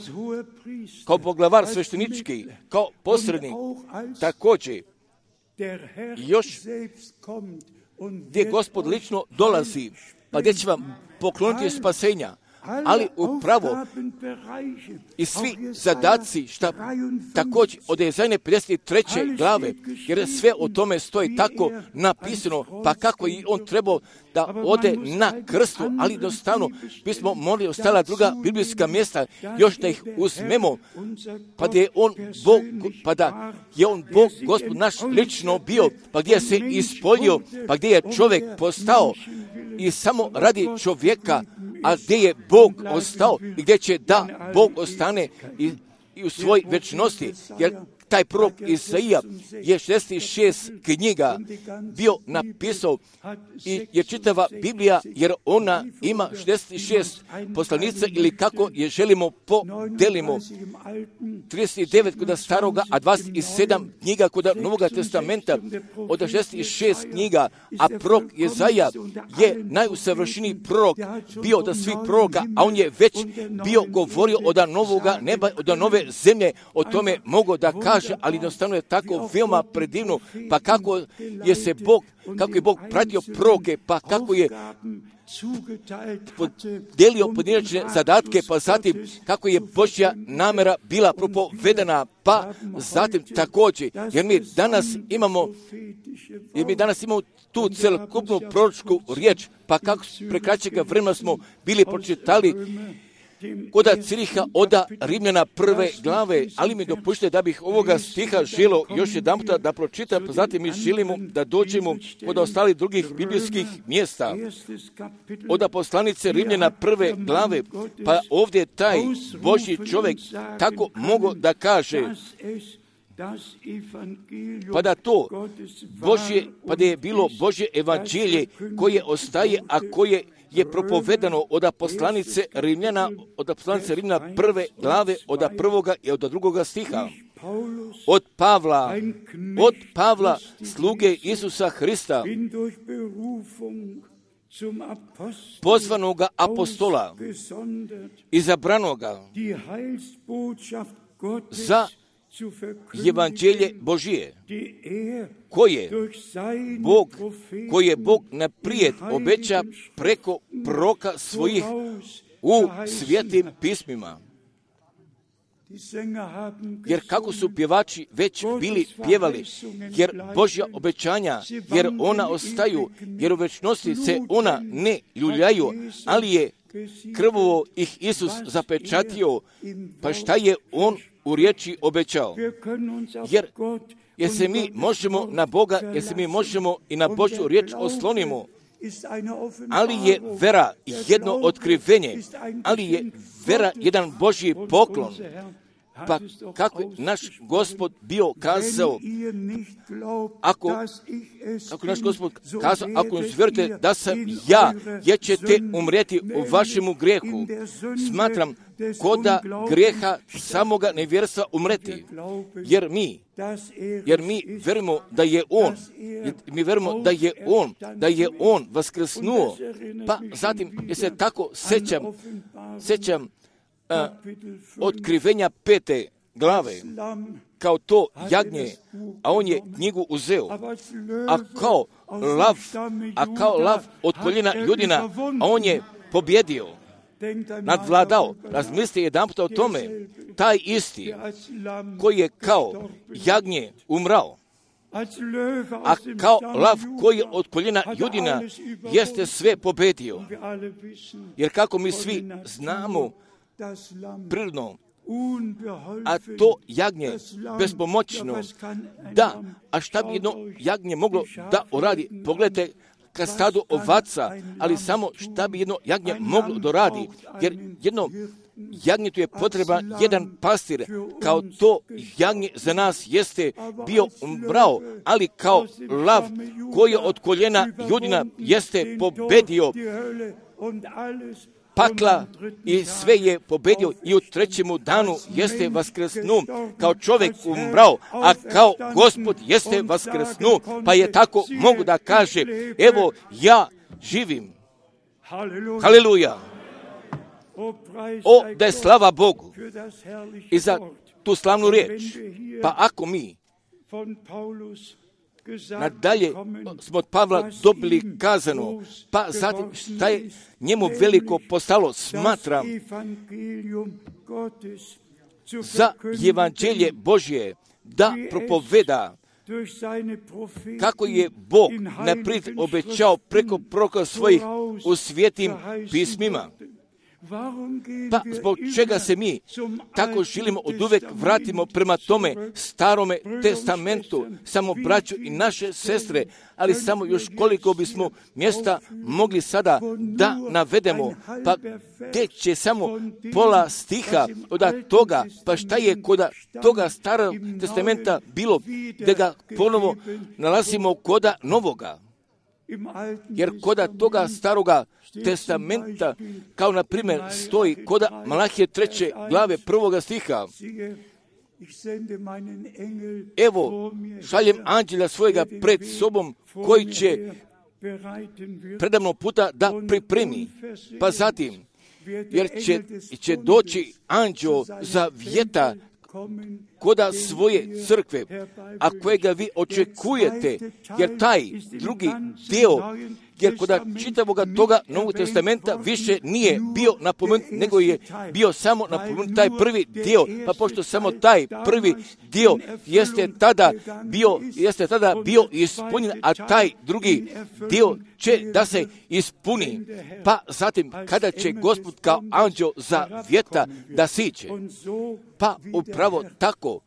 kao poglavar sveštenički, kao posrednik, također još gdje Gospod lično dolazi, pa gdje će vam pokloniti spasenja, ali upravo i svi zadaci šta također od Jezajne pedeset treće glave, jer sve o tome stoji tako napisano, pa kako i on trebao da ode na krstu, ali jednostavno bismo morali ostala druga biblijska mjesta, još da ih uzmemo, pa da je on Bog, pa da je on Bog, Gospod naš lično bio, pa gdje se ispoljio, pa gdje je čovjek postao i samo radi čovjeka, a gdje je Bog ostao i gdje će da Bog ostane i, i u svoj večnosti, jer taj prorok Izaija je šezdeset šest knjiga bio napisao i je čitava Biblija, jer ona ima šezdeset šest poslanica ili kako je želimo podelimo. trideset devet kod staroga, a dvadeset sedam knjiga kod Novoga testamenta, od šezdeset šest knjiga, a prorok Izaija je najusavršeniji prorok bio od svih proroka, a on je već bio govorio od novoga neba, od nove zemlje, o tome mogo da kaže, ali jednostavno je tako veoma predivno, pa kako je se Bog, kako je Bog pratio proroke, pa kako je podijelio pojedinačne zadatke, pa zatim kako je Božja namjera bila propovedana, pa zatim također, jer mi danas imamo, jer mi danas imamo tu celokupnu proročku riječ, pa kako prekraćega vremena smo bili pročitali koda Ciriha oda Rimljana prve glave, ali mi dopušte da bih ovoga stiha želo još jedan puta da pročitam, pa zatim mi želimo da dođemo od ostalih drugih biblijskih mjesta. Oda poslanice Rimljana prve glave, pa ovdje taj Božji čovjek tako mogu da kaže pa da to Božje, pa da je bilo Božje evanđelje koje ostaje, a koje je propovedano od poslanice Rimljana, od poslanice Rimljana prve glave, od prvoga i od drugoga stiha. Od Pavla, od Pavla, sluge Isusa Hrista, pozvanoga apostola, izabranoga za evanđelje Božije, koje Bog, koje Bog naprijed obeća preko proroka svojih u svetim pismima. Jer kako su pjevači već bili pjevali, jer Božja obećanja, jer ona ostaju, jer u večnosti se ona ne ljuljaju, ali je krvovo ih Isus zapečatio, pa šta je on u riječi obećao? Jer, jer se mi možemo na Boga, jer se mi možemo i na Božju riječ oslonimo, ali je vera jedno otkrivenje, ali je vera jedan Božji poklon. Pa kako je naš Gospod bio kazao, ako, ako naš Gospod kazao, ako ne vjerujete da sam ja, jer ćete umrijeti u vašemu grijehu, smatram koda grijeha samoga nevjerstva umreti, jer mi, jer mi vjerujemo da je On, mi vjerujemo da je On, da je On vaskrsnuo, pa zatim je se tako sećam, sećam A, otkrivenja pete glave, kao to jagnje, a on je knjigu uzeo, a kao lav, a kao lav od koljena Judina, a on je pobjedio, nadvladao. Razmislite jedanput o tome, taj isti koji je kao jagnje umrao, a kao lav koji je od koljena Judina jeste sve pobjedio. Jer kako mi svi znamo, prirodno, a to jagnje bespomoćno, da, a šta bi jedno jagnje moglo da uradi? Pogledajte ka stadu ovaca, ali samo šta bi jedno jagnje moglo da radi, jer jedno jagnjetu je potreban jedan pastir, kao to jagnje za nas jeste bio umrao, ali kao lav koji je od koljena Judina jeste pobedio pakla i sve je pobedio i u trećemu danu jeste vaskrsnu, kao čovjek umrao, a kao Gospod jeste vaskrsnu, pa je tako mogu da kaže, evo ja živim. Haleluja! O, da je slava Bogu i za tu slavnu riječ. Pa ako mi nadalje smo od Pavla dobili kazano, pa zatim šta je njemu veliko postalo, smatram za evanđelje Božje da propoveda kako je Bog naprijed obećao preko proroka svojih u svetim pismima. Pa zbog čega se mi tako želimo od uvek vratimo prema tome starome testamentu, samo braću i naše sestre, ali samo još koliko bismo mjesta mogli sada da navedemo, pa gdje će samo pola stiha od toga, pa šta je kod toga starog testamenta bilo, da ga ponovo nalazimo koda novoga. Jer koda toga staroga testamenta, kao na primjer stoji koda Malahije treće glave prvoga stiha, evo šaljem anđela svojega pred sobom koji će predavno puta da pripremi, pa zatim jer će, će doći anđeo za vjeta koda svoje crkve, a kojega vi očekujete, jer taj drugi dio, jer koda čitavoga toga Novog testamenta više nije bio napomenut, nego je bio samo napomenut taj prvi dio, pa pošto samo taj prvi dio jeste tada bio, jeste tada bio ispunjen, a taj drugi dio će da se ispuni, pa zatim kada će Gospod kao anđeo za vjeta da siđe, pa upravo tako,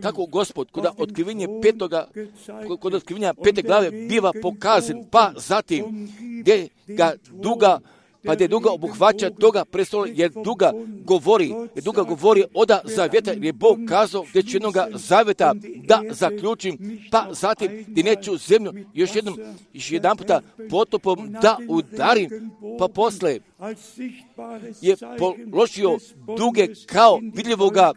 tako Gospod kod otkrivenja petoga, kod otkrivenja pete glave biva pokazan, pa zatim gdje ga duga pa gdje duga obuhvaća toga prestola, jer duga govori, jer duga govori oda zavjeta, jer je Bog kazao gdje će jednoga zavjeta da zaključim, pa zatim gdje neću zemlju još jednom, još jedan puta potopom da udarim, pa posle je položio duge kao vidljivoga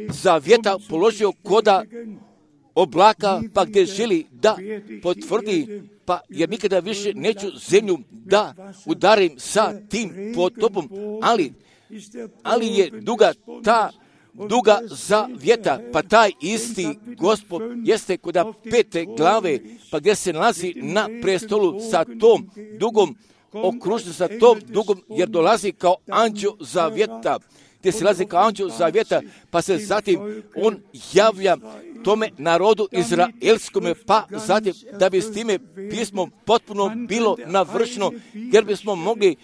zavjeta, položio koda oblaka, pa gdje želi da potvrdi, pa jer nikada više neću zemlju da udarim sa tim potopom, ali, ali je duga ta duga zavjeta, pa taj isti Gospod jeste koda pete glave, pa gdje se nalazi na prestolu sa tom dugom, okružen sa tom dugom, jer dolazi kao anđeo zavjeta, gdje se nalazi kao anđeo zavjeta, pa se zatim on javlja tome narodu izraelskome, pa zatim da bi s time pismom potpuno bilo navršeno, jer bismo mogli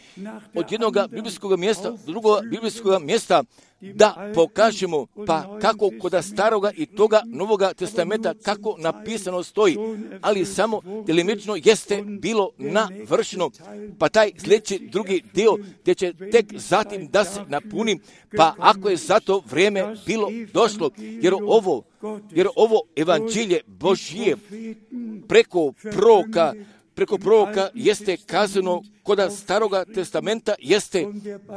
od jednog biblijskog mjesta do drugog biblijskog mjesta da pokažemo, pa kako kod staroga i toga Novoga testamenta kako napisano stoji, ali samo delimično jeste bilo navršeno, pa taj sljedeći drugi dio gdje će tek zatim da se napuni, pa ako je za to vrijeme bilo došlo, jer ovo, jer ovo evanđelje Božije preko proroka, preko proroka jeste kazano, koda staroga testamenta jeste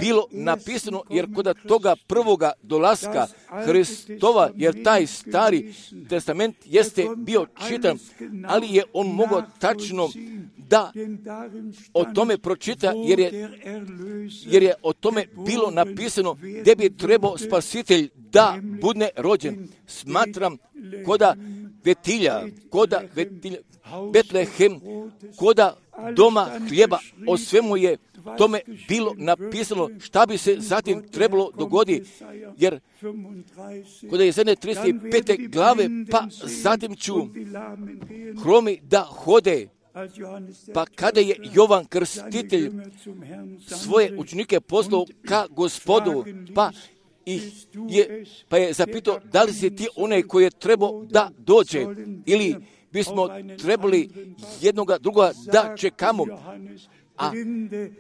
bilo napisano, jer koda toga prvoga dolaska Hristova, jer taj stari testament jeste bio čitan, ali je on mogao tačno da o tome pročita, jer je, jer je o tome bilo napisano gdje bi trebao spasitelj da bude rođen. Smatram koda Vetilja, koda Vetilja, Betlehem, koda doma hljeba, o svemu je tome bilo napisano šta bi se zatim trebalo dogoditi, jer kod je Jesaja trideset pete glave, pa zatim ću hromi da hode, pa kada je Jovan Krstitelj svoje učenike poslao ka Gospodu, pa I je, pa je zapitao da li si ti onaj koji je trebao da dođe, ili bismo trebali jednoga drugoga da čekamo. A,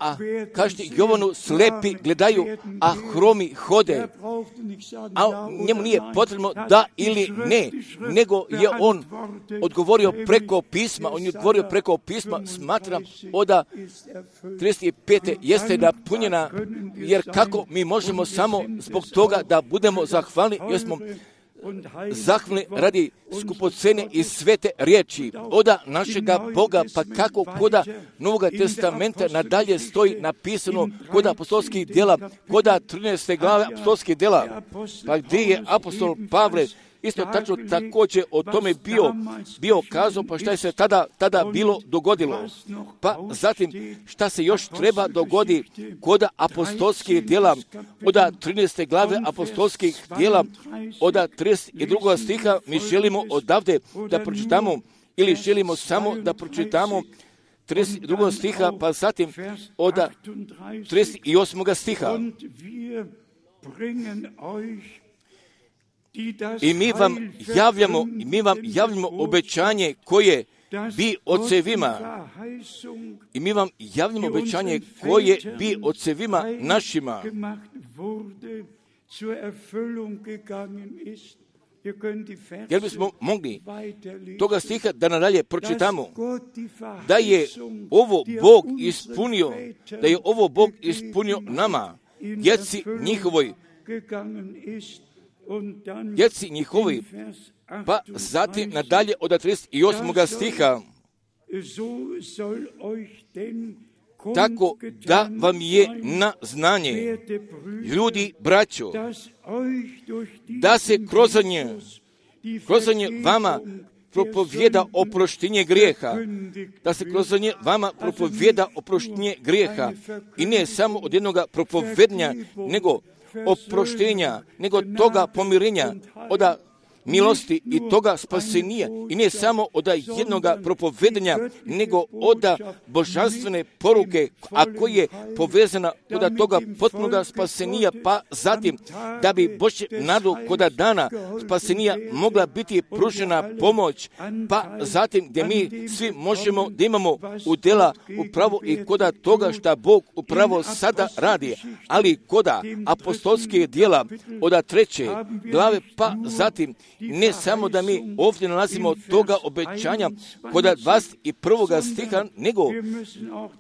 a kažete Jovanu, slepi gledaju, a hromi hode. A njemu nije potrebno da ili ne, nego je on odgovorio preko pisma, on je odgovorio preko pisma, smatram oda trideset pete jeste napunjena, jer kako mi možemo samo zbog toga da budemo zahvalni, jer smo zahvalni radi skupocene i svete riječi oda našega Boga, pa kako koda Novoga testamenta nadalje stoji napisano koda apostolskih djela, koda trinaeste glave apostolskih djela, pa gdje je apostol Pavle isto tačno također o tome bio, bio kazao, pa šta je se tada, tada bilo dogodilo. Pa zatim šta se još treba dogoditi koda apostolskih djela, oda trinaeste glave apostolskih djela, oda trideset drugog stiha, mi želimo odavde da pročitamo, ili želimo samo da pročitamo trideset drugog stiha, pa zatim oda trideset osmog stiha. I mi vam javljamo, mi vam javljamo obećanje koje bi ocevima, i mi vam javljamo obećanje koje bi ocevima našima jer bismo mogli toga stiha da nadalje pročitamo, da je ovo Bog ispunio, da je ovo Bog ispunio nama, djeci njihovoj, djeci njihovi, pa zatim nadalje od trideset osmog stiha, tako da vam je na znanje, ljudi, braćo, da se kroz nje, kroz nje vama propovjeda oproštenje grijeha, da se kroz nje vama propovjeda oproštenje grijeha, i ne samo od jednoga propovednja, nego oproštenja, nego toga pomirenja, oda milosti i toga spasenija i ne samo od jednoga propovedanja, nego od božanstvene poruke, a koja je povezana od toga potpunoga spasenija, pa zatim da bi Božje nadu koda dana spasenija mogla biti pružena pomoć, pa zatim gdje mi svi možemo da imamo udjela upravo i koda toga šta Bog upravo sada radi, ali koda apostolske djela od treće glave, pa zatim ne samo da mi ovdje nalazimo toga obećanja kod dvadeset prvoga stiha, nego,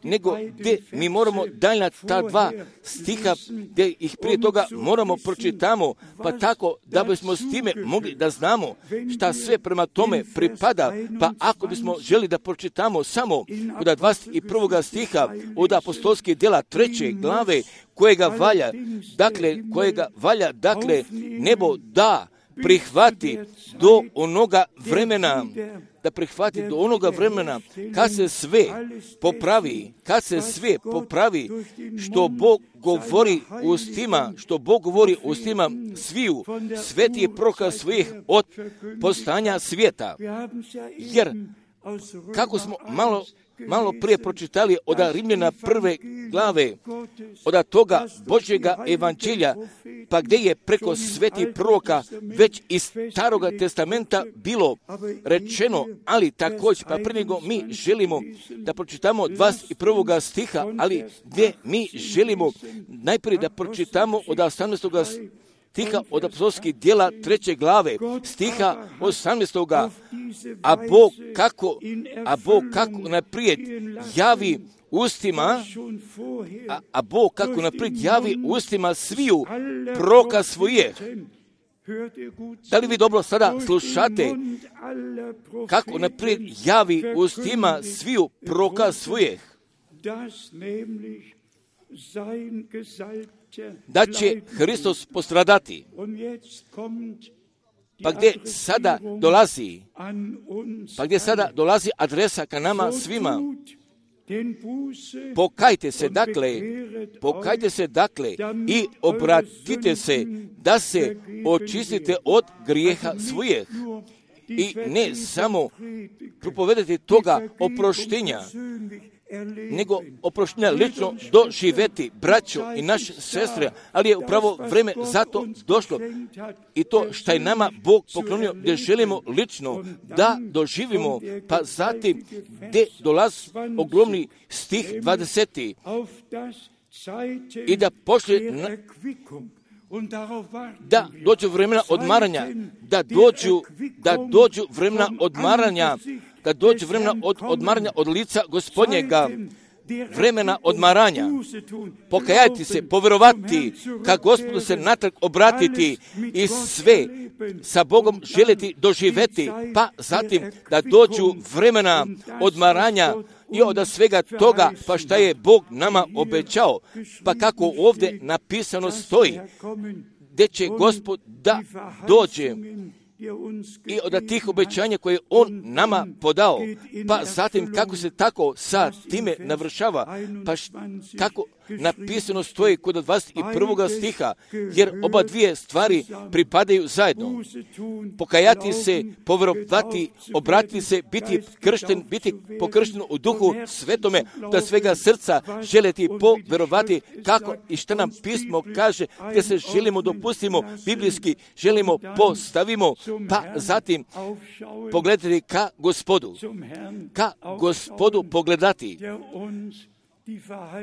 nego gdje mi moramo daljna ta dva stiha, gdje ih prije toga moramo pročitamo, pa tako da bismo s time mogli da znamo šta sve prema tome pripada, pa ako bismo želi da pročitamo samo kod dvadeset prvoga stiha od apostolskih djela treće glave, kojega valja, dakle, kojega valja, dakle, nebo da prihvati do onoga vremena, da prihvati do onoga vremena kad se sve popravi, kad se sve popravi što Bog govori ustima, što Bog govori ustima sviju svetih proroka svojih od postanja svijeta. Jer kako smo malo malo prije pročitali od Rimljana prve glave, od toga Božjega evanđelja, pa gdje je preko svetih proroka već iz Staroga testamenta bilo rečeno, ali također, pa prije nego mi želimo da pročitamo dvadeset prvoga stiha, ali gdje mi želimo najprije da pročitamo od osamnaestoga stiha od apostolskih djela treće glave, stiha osamnaestoga A Bog kako, a Bog kako naprijed javi ustima, a, a Bog kako naprijed javi ustima sviju proroka svoje. Da li vi dobro sada slušate kako naprijed javi ustima sviju proroka svojih? Da će Hristos postradati. Pa gdje sada dolazi, pa gdje sada dolazi adresa ka nama svima. Pokajte se dakle, pokajte se dakle i obratite se da se očistite od grijeha svojih. I ne samo propovedati toga oproštenja, nego oproštenja lično doživjeti, braćo i naše sestre, ali je upravo vreme za to došlo. I to što je nama Bog poklonio, gdje želimo lično da doživimo, pa zatim gdje dolazi ogromni stih dvadeseti i da pošle na, da dođu vremena odmaranja, da dođu, da dođu vremena odmaranja, da dođe vremena od odmaranja od lica Gospodnjega, vremena odmaranja, pokajati se, povjerovati, ka Gospodu se natrag obratiti i sve sa Bogom želiti doživjeti, pa zatim da dođu vremena odmaranja i od svega toga, pa šta je Bog nama obećao, pa kako ovdje napisano stoji, gdje će Gospod da dođe i od tih obećanja koje On nama podao, pa zatim kako se tako sa time navršava, pa š, kako napisano stoji kod dvadeset prvoga stiha, jer oba dvije stvari pripadaju zajedno. Pokajati se, povjerovati, obratiti se, biti kršten, biti pokršten u duhu svetome, da svega srca želiti povjerovati kako i što nam pismo kaže, gdje se želimo dopustimo, biblijski želimo postavimo, pa zatim pogledati ka Gospodu, ka Gospodu pogledati,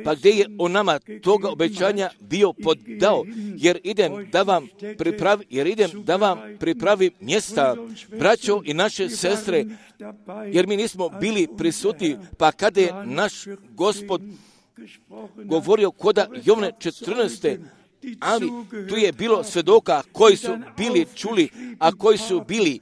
pa gdje je on nama toga obećanja bio podao, jer idem da vam pripravi, jer idem da vam pripravi mjesta, braćo i naše sestre, jer mi nismo bili prisutni, pa kada je naš Gospod govorio koda Jovne četrnaeste, ali tu je bilo svedoka koji su bili čuli, a koji su bili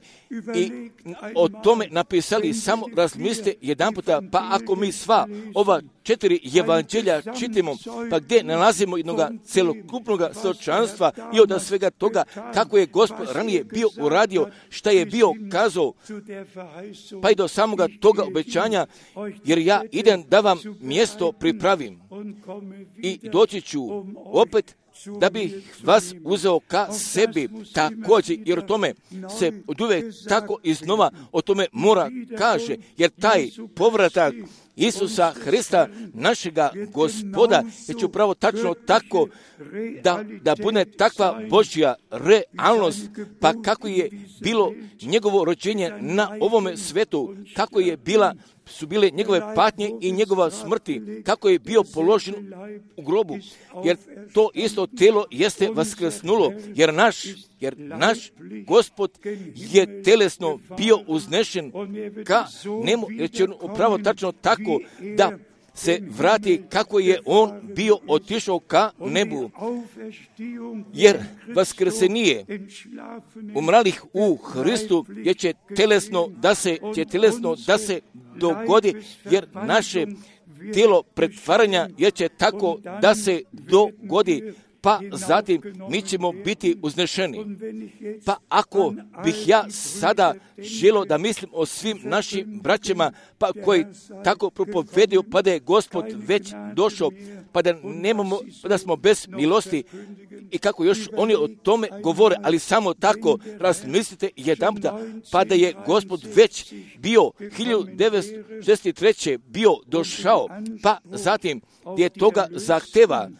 i o tome napisali, samo razmislite jedan puta, pa ako mi sva ova četiri evanđelja čitimo, pa gdje nalazimo jednog celokupnog svjedočanstva i od svega toga kako je Gospod ranije bio uradio, šta je bio kazao, pa i do samoga toga obećanja, jer ja idem da vam mjesto pripravim i doći ću opet da bi vas uzeo ka sebi također, jer o tome se oduvijek tako iznova o tome mora kaže, jer taj povratak Isusa Hrista, našega Gospoda, je će upravo tačno tako da, da bude takva Božja realnost, pa kako je bilo njegovo rođenje na ovome svetu, kako je bila su bile njegove patnje i njegova smrti, kako je bio položen u grobu, jer to isto telo jeste vaskrsnulo, jer naš, jer naš Gospod je telesno bio uznešen ka nemu, jer će on upravo tačno tako da se vrati kako je on bio otišao ka nebu, jer vaskrsenije umralih u Hristu je će telesno da se, će telesno da se dogodi, jer naše tijelo pretvaranja je će tako da se dogodi, pa zatim mi ćemo biti uznešeni. Pa ako bih ja sada želio da mislim o svim našim braćama, pa koji tako propovedaju, pa da je Gospod već došao, pa da nemamo, pa da smo bez milosti, i kako još oni o tome govore, ali samo tako razmislite jedanputa, pa da je Gospod već bio hiljadu devetsto šezdeset treće bio došao, pa zatim gdje toga zahteva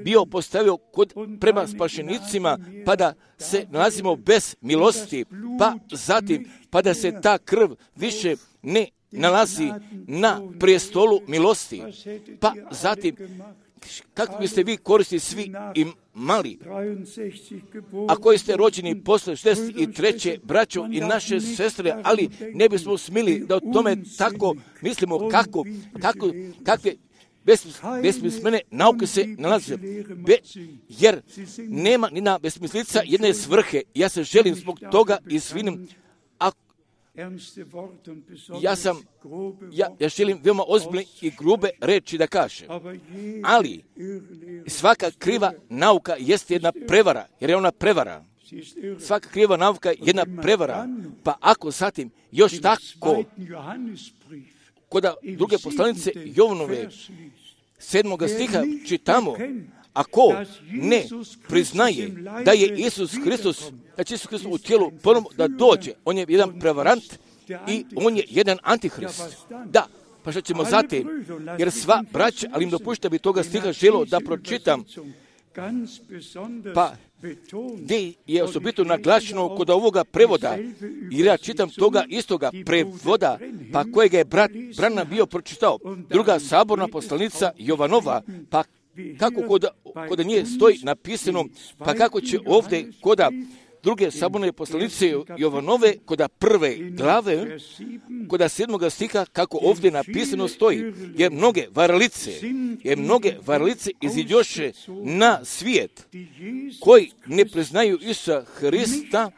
bio postavio kod, prema spašenicima, pa da se nalazimo bez milosti, pa zatim, pa da se ta krv više ne nalazi na prijestolu milosti, pa zatim, kako biste vi koristili svi i mali, a koji ste rođeni posle šezdeset treće braćo i naše sestre, ali ne bismo smili da o tome tako mislimo kako, kako, kakve besmislene nauke se nalaze, Be, jer nema ni na besmislica jedne svrhe. Ja se želim zbog toga izvinim, a ja sam, ja, ja želim veoma ozbiljne i grube reči da kažem, ali svaka kriva nauka jeste jedna prevara, jer je ona prevara. Svaka kriva nauka je jedna prevara, pa ako zatim još tako kod druge poslanice Jovanove sedmoga stiha čitamo, ako ne priznaje da je Isus Hristos, da će Isus Hristos u tijelu ponovno da dođe, on je jedan prevarant i on je jedan antihrist. Da, pa što ćemo zatim, jer sva braća, ali im dopušta bi toga stiha želo da pročitam, pa gdje je osobito naglašeno kod ovoga prevoda, jer ja čitam toga istoga prevoda, pa kojega je brat Branham bio pročitao, druga saborna poslanica Jovanova, pa kako kod, kod nje stoji napisano, pa kako će ovdje koda druge saborne poslanice Jovanove, koda prve glave, koda sedmoga stiha, kako ovdje napisano stoji, jer mnoge varalice, jer mnoge varalice iziđoše na svijet, koji ne priznaju Isusa Hrista,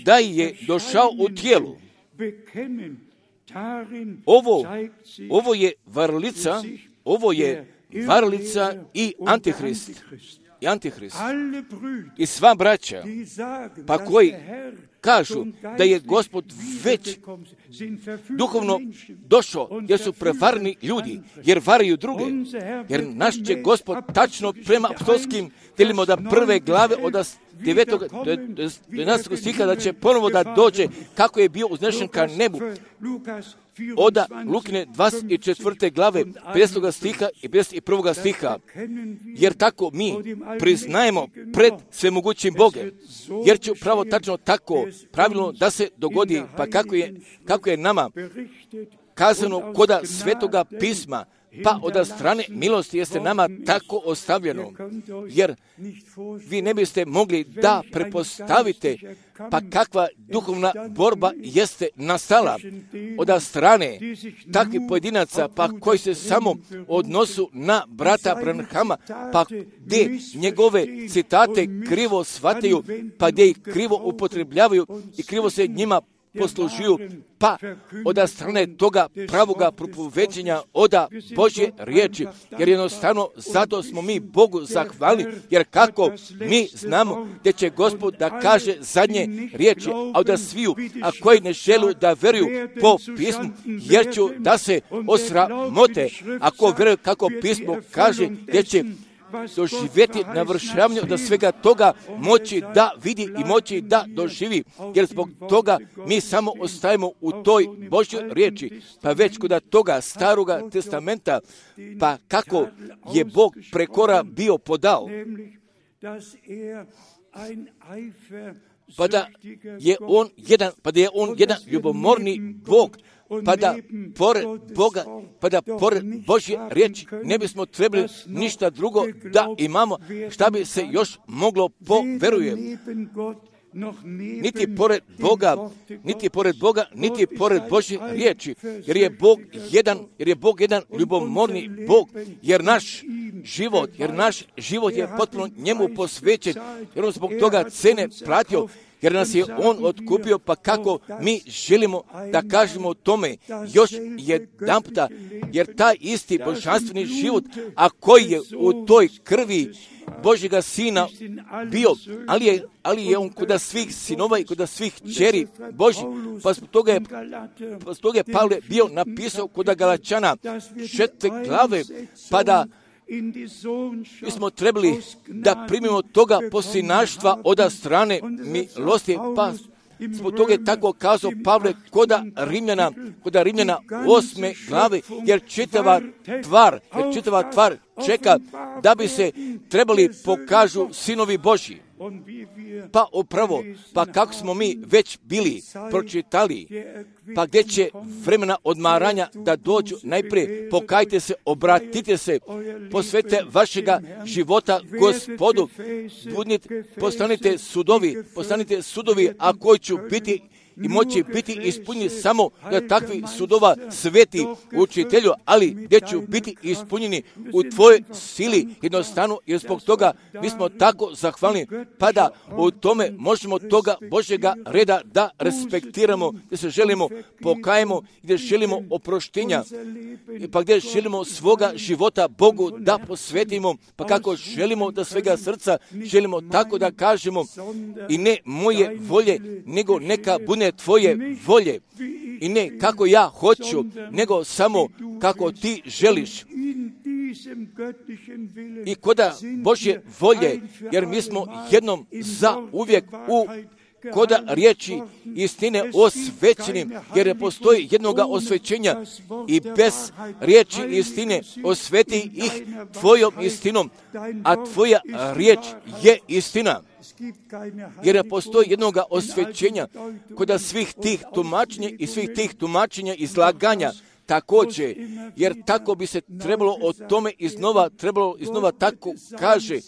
da je došao u tijelu. Ovo, ovo je varalica, ovo je varalica i antihrist. I antihrist. I sva braća, pa koji kažu da je Gospod već duhovno došao, jer su prevarni ljudi, jer varaju druge. Jer naš će Gospod tačno prema apostolskim telima da prve glave od devetog do jedanaestog stiha da će ponovo da dođe kako je bio uznešen ka nebu. Oda Lukine dvadeset četvrte glave, pedesetog stiha i pedeset prvog stiha, jer tako mi priznajemo pred svemogućim Bogem, jer će upravo tačno tako pravilno da se dogodi, pa kako je, kako je nama kazano koda Svetoga pisma, pa od strane milosti jeste nama tako ostavljeno, jer vi ne biste mogli da prepostavite pa kakva duhovna borba jeste nastala od strane takvih pojedinaca, pa koji se samo odnosu na brata Branhama, pa gdje njegove citate krivo shvataju, pa gdje ih krivo upotrebljavaju i krivo se njima poslužuju, pa od strane toga pravoga propoveđenja oda Božje riječi, jer jednostavno zato smo mi Bogu zahvalni, jer kako mi znamo da će Gospod da kaže zadnje riječi, a da sviju, a koji ne žele da veruju po pismu, jer ću da se osramote, ako veruju kako pismo kaže, jer će doživjeti navršavanje da svega toga moći da vidi i moći da doživi, jer zbog toga mi samo ostajemo u toj Božjoj riječi. Pa već kod toga staroga testamenta, pa kako je Bog prekora bio podao, pa da je on jedan, pa da je on jedan ljubomorni Bog, pa da pored Boga, pa da pored Božje riječi ne bismo trebali ništa drugo da imamo, šta bi se još moglo poverujem. Niti pored Boga, niti pored Boga, niti pored Božje riječi, jer je Bog jedan, jer je Bog jedan ljubomorni Bog, jer naš život, jer naš život je potpuno njemu posvećen, jer on zbog toga cene platio, jer nas je on otkupio, pa kako mi želimo da kažemo o tome još jedanputa, jer taj isti božanstveni život, a koji je u toj krvi Božjega Sina bio, ali je, ali je on kod svih sinova i kod svih kćeri Božji, pa zbog toga je, pa zbog toga je Pavle bio napisao kod Galačana četiri glave, pa da mi smo trebali da primimo toga poslinaštva od strane milosti, pa zbog toga je tako kazao Pavle koda Rimljana, koda Rimljana osme glave, jer čitava tvar, jer čitava tvar čeka da bi se trebali pokažu sinovi Božji. Pa upravo, pa kako smo mi već bili pročitali, pa gdje će vremena odmaranja da dođu, najprije pokajte se, obratite se, posvetite vašega života Gospodu, budnite, postanite sudovi, postanite sudovi, a koji će biti i moći biti ispunjeni samo da takvi sudova sveti učitelju, ali gdje će biti ispunjeni u tvojoj sili jednostavno, jer zbog toga mi smo tako zahvalni, pa da u tome možemo toga Božjega reda da respektiramo, gdje se želimo pokajemo, gdje želimo oproštenja, pa gdje želimo svoga života Bogu da posvetimo, pa kako želimo da svega srca želimo tako da kažemo i ne moje volje, nego neka bude tvoje volje i ne kako ja hoću, nego samo kako ti želiš. I koda Božje volje, jer mi smo jednom za uvijek u koda riječi istine osvećenim, jer ne postoji jednoga osvećenja i bez riječi istine osveti ih tvojom istinom, a tvoja riječ je istina. Jer ne postoji jednoga osvećenja kod svih tih tumačenja i svih tih tumačenja izlaganja također, jer tako bi se trebalo o tome iznova, trebalo iznova tako kaže,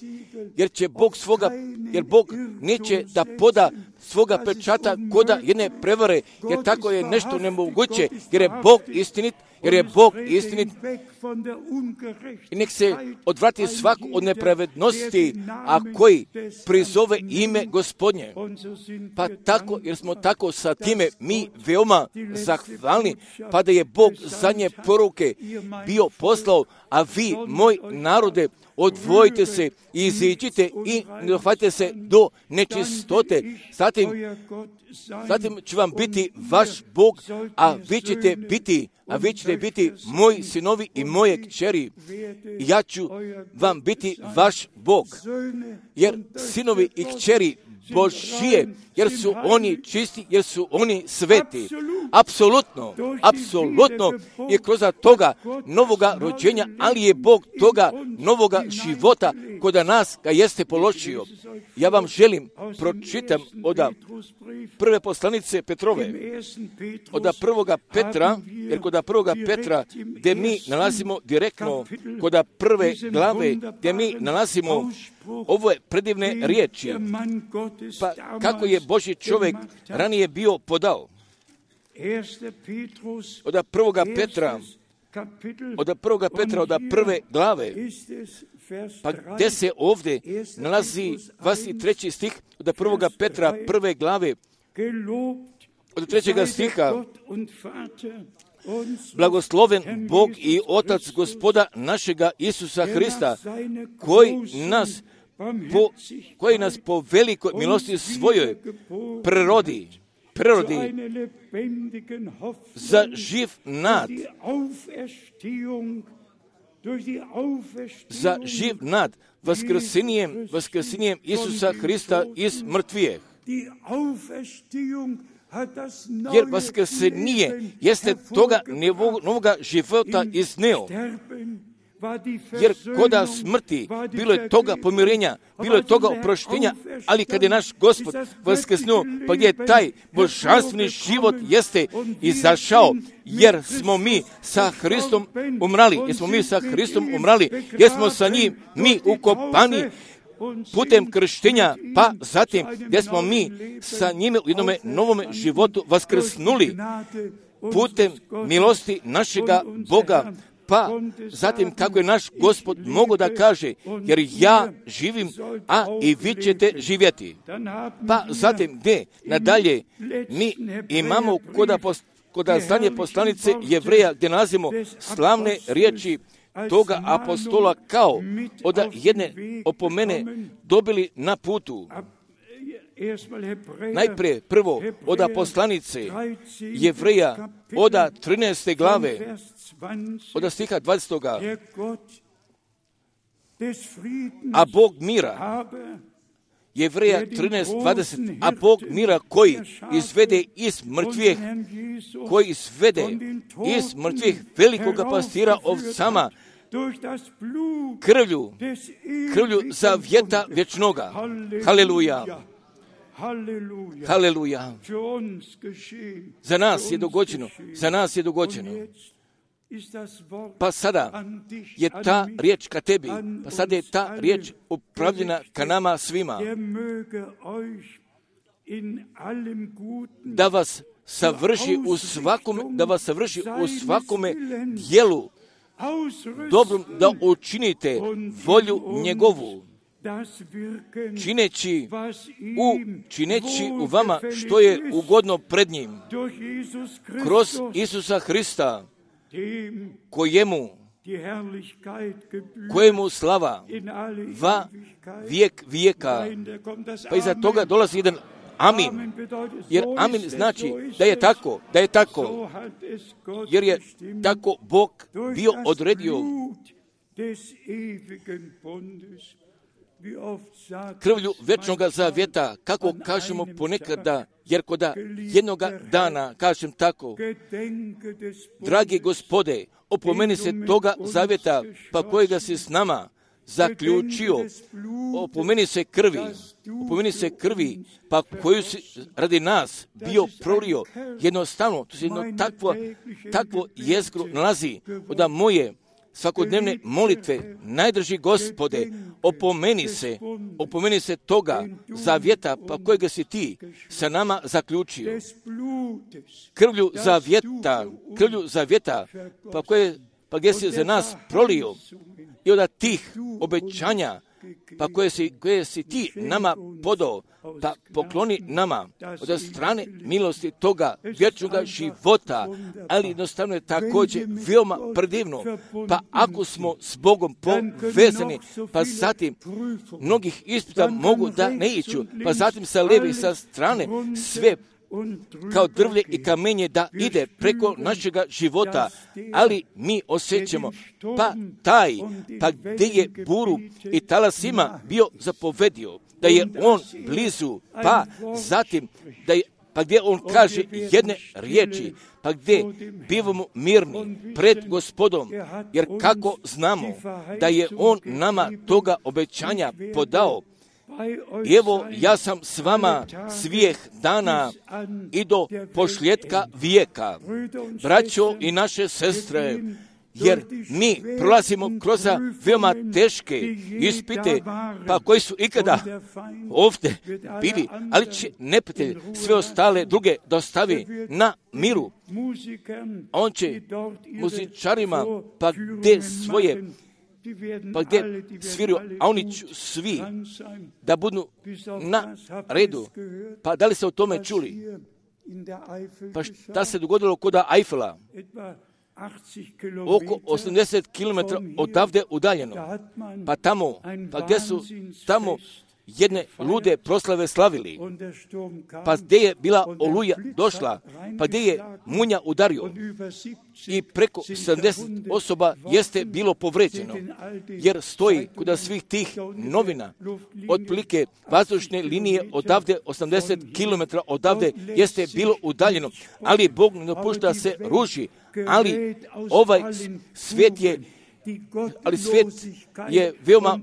jer će Bog svoga, jer Bog neće da poda svoga pečata koda jedne prevare, jer tako je nešto nemoguće, jer je Bog istinit, jer je Bog istinit i nek se odvrati svak od nepravednosti, a koji prizove ime Gospodnje. Pa tako, jer smo tako sa time mi veoma zahvalni, pa da je Bog zadnje poruke bio poslao, a vi, moj narode, odvojite se i iziđite i ne dohvatite se do nečistote. Zatim, zatim će vam biti vaš Bog, a vi ćete biti, a vi ćete biti moji sinovi i moje kćeri. Ja ću vam biti vaš Bog. Jer sinovi i kćeri Božije, jer su oni čisti, jer su oni sveti. Apsolutno, apsolutno je kroz toga novoga rođenja, ali je Bog toga novoga života kod nas ga jeste položio. Ja vam želim pročitam od prve poslanice Petrove, od prvoga Petra, jer kod prvoga Petra gdje mi nalazimo direktno, kod prve glave gdje mi nalazimo ove predivne riječi, pa kako je Božji čovjek ranije bio podao. Od prvoga Petra, od prvoga Petra, od prve glave, pa gdje se ovdje nalazi dvadeset treći stih od prvoga Petra, prve glave, od trećega stiha, blagosloven Bog i Otac Gospoda našega Isusa Hrista, koji nas po, koji nas po velikoj milosti svojoj prerodi, prerodi za živ nad za živ nad vaskrsenjem, vaskrsenjem Isusa Hrista iz mrtvijeh. Jer vaskrsenje jeste toga novoga života izneo. Jer koda smrti bilo je toga pomirenja, bilo je toga oproštenja, ali kad je naš Gospod vaskrsnuo, pa gdje je taj božanstveni život jeste izašao, jer smo mi sa Hristom umrali, jer smo mi sa Hristom umrali, jer smo sa njim mi ukopani putem krštenja, pa zatim gdje smo mi sa njime u jednome novome životu vaskrsnuli putem milosti našega Boga. Pa zatim kako je naš Gospod mogo da kaže, jer ja živim, a i vi ćete živjeti. Pa zatim gdje nadalje mi imamo koda, koda zadnje poslanice Jevreja, gdje nalazimo slavne riječi toga apostola kao od jedne opomene dobili na putu. Najprije prvo od poslanice Jevreja od trinaeste glave, od stiha dvadesetoga. A Bog mira, Jevreja trinaest dvadeset, a Bog mira koji izvede iz mrtvih, koji izvede iz mrtvih velikoga pastira ovcama, krvlju, krvlju zavjeta vječnoga. Haleluja. Haleluja. Za nas je dogođeno, za nas je dogođeno. Pa sada je ta riječ ka tebi, pa sada je ta riječ upravljena ka nama svima. Da vas savrši u svakome, da vas savrši u svakome dijelu dobrom, da učinite volju njegovu, čineći u, čineći u vama što je ugodno pred njim, kroz Isusa Hrista, kojemu, kojemu slava va vijek vijeka. Pa iza toga dolazi jedan amin, jer amin znači da je tako, da je tako, jer je tako Bog bio odredio. Krvlju večnoga zavjeta, kako kažemo ponekada, jer koda jednoga dana, kažem tako, dragi Gospode, opomeni se toga zavjeta, pa kojega si s nama zaključio, opomeni se krvi, opomeni se krvi, pa koju si radi nas bio prolio, jednostavno, to se jedno takvo, takvo jezgro nalazi, da moje svakodnevne molitve, najdrži Gospode, opomeni se, opomeni se toga zavjeta, pa kojega si ti sa nama zaključio. Krvlju zavjeta, krvlju zavjeta, pa, koje, pa gdje si za nas prolio i od tih obećanja, pa koje si, koje si ti nama podao, pa pokloni nama od strane milosti toga vječnoga života, ali jednostavno je također veoma predivno. Pa ako smo s Bogom povezani, pa zatim mnogih ispita mogu da ne iću, pa zatim sa lijeve i sa strane sve kao drvlje i kamenje da ide preko našega života, ali mi osjećamo, pa taj, pa gdje je buru i talasima bio zapovedio, da je on blizu, pa zatim, da je, pa gdje on kaže jedne riječi, pa gdje bivamo mirni pred Gospodom, jer kako znamo da je on nama toga obećanja podao. I evo, ja sam s vama svih dana i do pošljetka vijeka. Braćo i naše sestre, jer mi prolazimo kroz veoma teške ispite, pa koji su ikada ovdje bili, ali će neprijatelj sve ostale druge dostavi na miru. On će muzičarima, pa gdje svoje, pa gdje sviraju, a oni će svi da budu na redu. Pa da li ste o tome čuli? Pa šta se dogodilo kod Eifela? Oko osamdeset kilometara odavde udaljeno. Pa tamo, pa gdje su tamo jedne lude proslave slavili, pa gdje je bila oluja došla, pa gdje je munja udario i preko sedamdeset osoba jeste bilo povređeno, jer stoji kod svih tih novina, otprilike vazdušne linije odavde, osamdeset kilometara odavde jeste bilo udaljeno, ali Bog ne dopušta da se ruži, ali ovaj svijet je ali svijet je veoma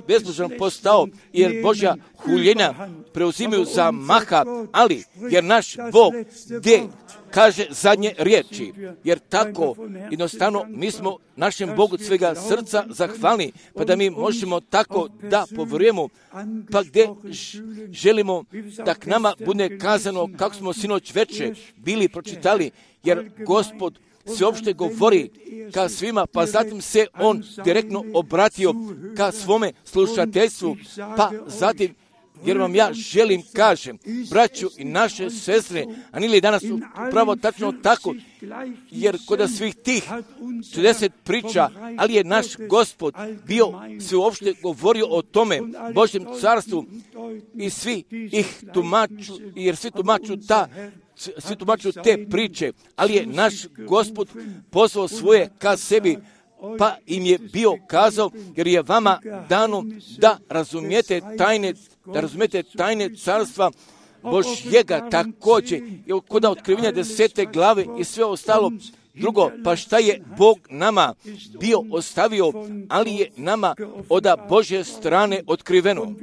bezbožan postao, jer Božja huljenja preuzimaju za maha, ali jer naš Bog gdje kaže zadnje riječi, jer tako jednostavno mi smo našem Bogu od svega srca zahvalni, pa da mi možemo tako da povjerujemo, pa gdje želimo da k nama bude kazano kako smo sinoć veče bili pročitali, jer Gospod sveopšte govori ka svima, pa zatim se on direktno obratio ka svome slušateljstvu, pa zatim, jer vam ja želim, kažem, braću i naše sestre, a nije li danas upravo tačno tako, jer kod svih tih četrdeset priča, ali je naš Gospod bio sveopšte govorio o tome Božjem carstvu i svi ih tumaču, jer svi tumaču ta svi tumaču te priče, ali je naš Gospod pozvao svoje ka sebi, pa im je bio kazao, jer je vama dano da razumijete tajne, da razumijete tajne carstva Božjega također, je kod otkrivenja desete glave i sve ostalo. Drugo, pa šta je Bog nama bio ostavio, ali je nama od Božje strane otkriveno.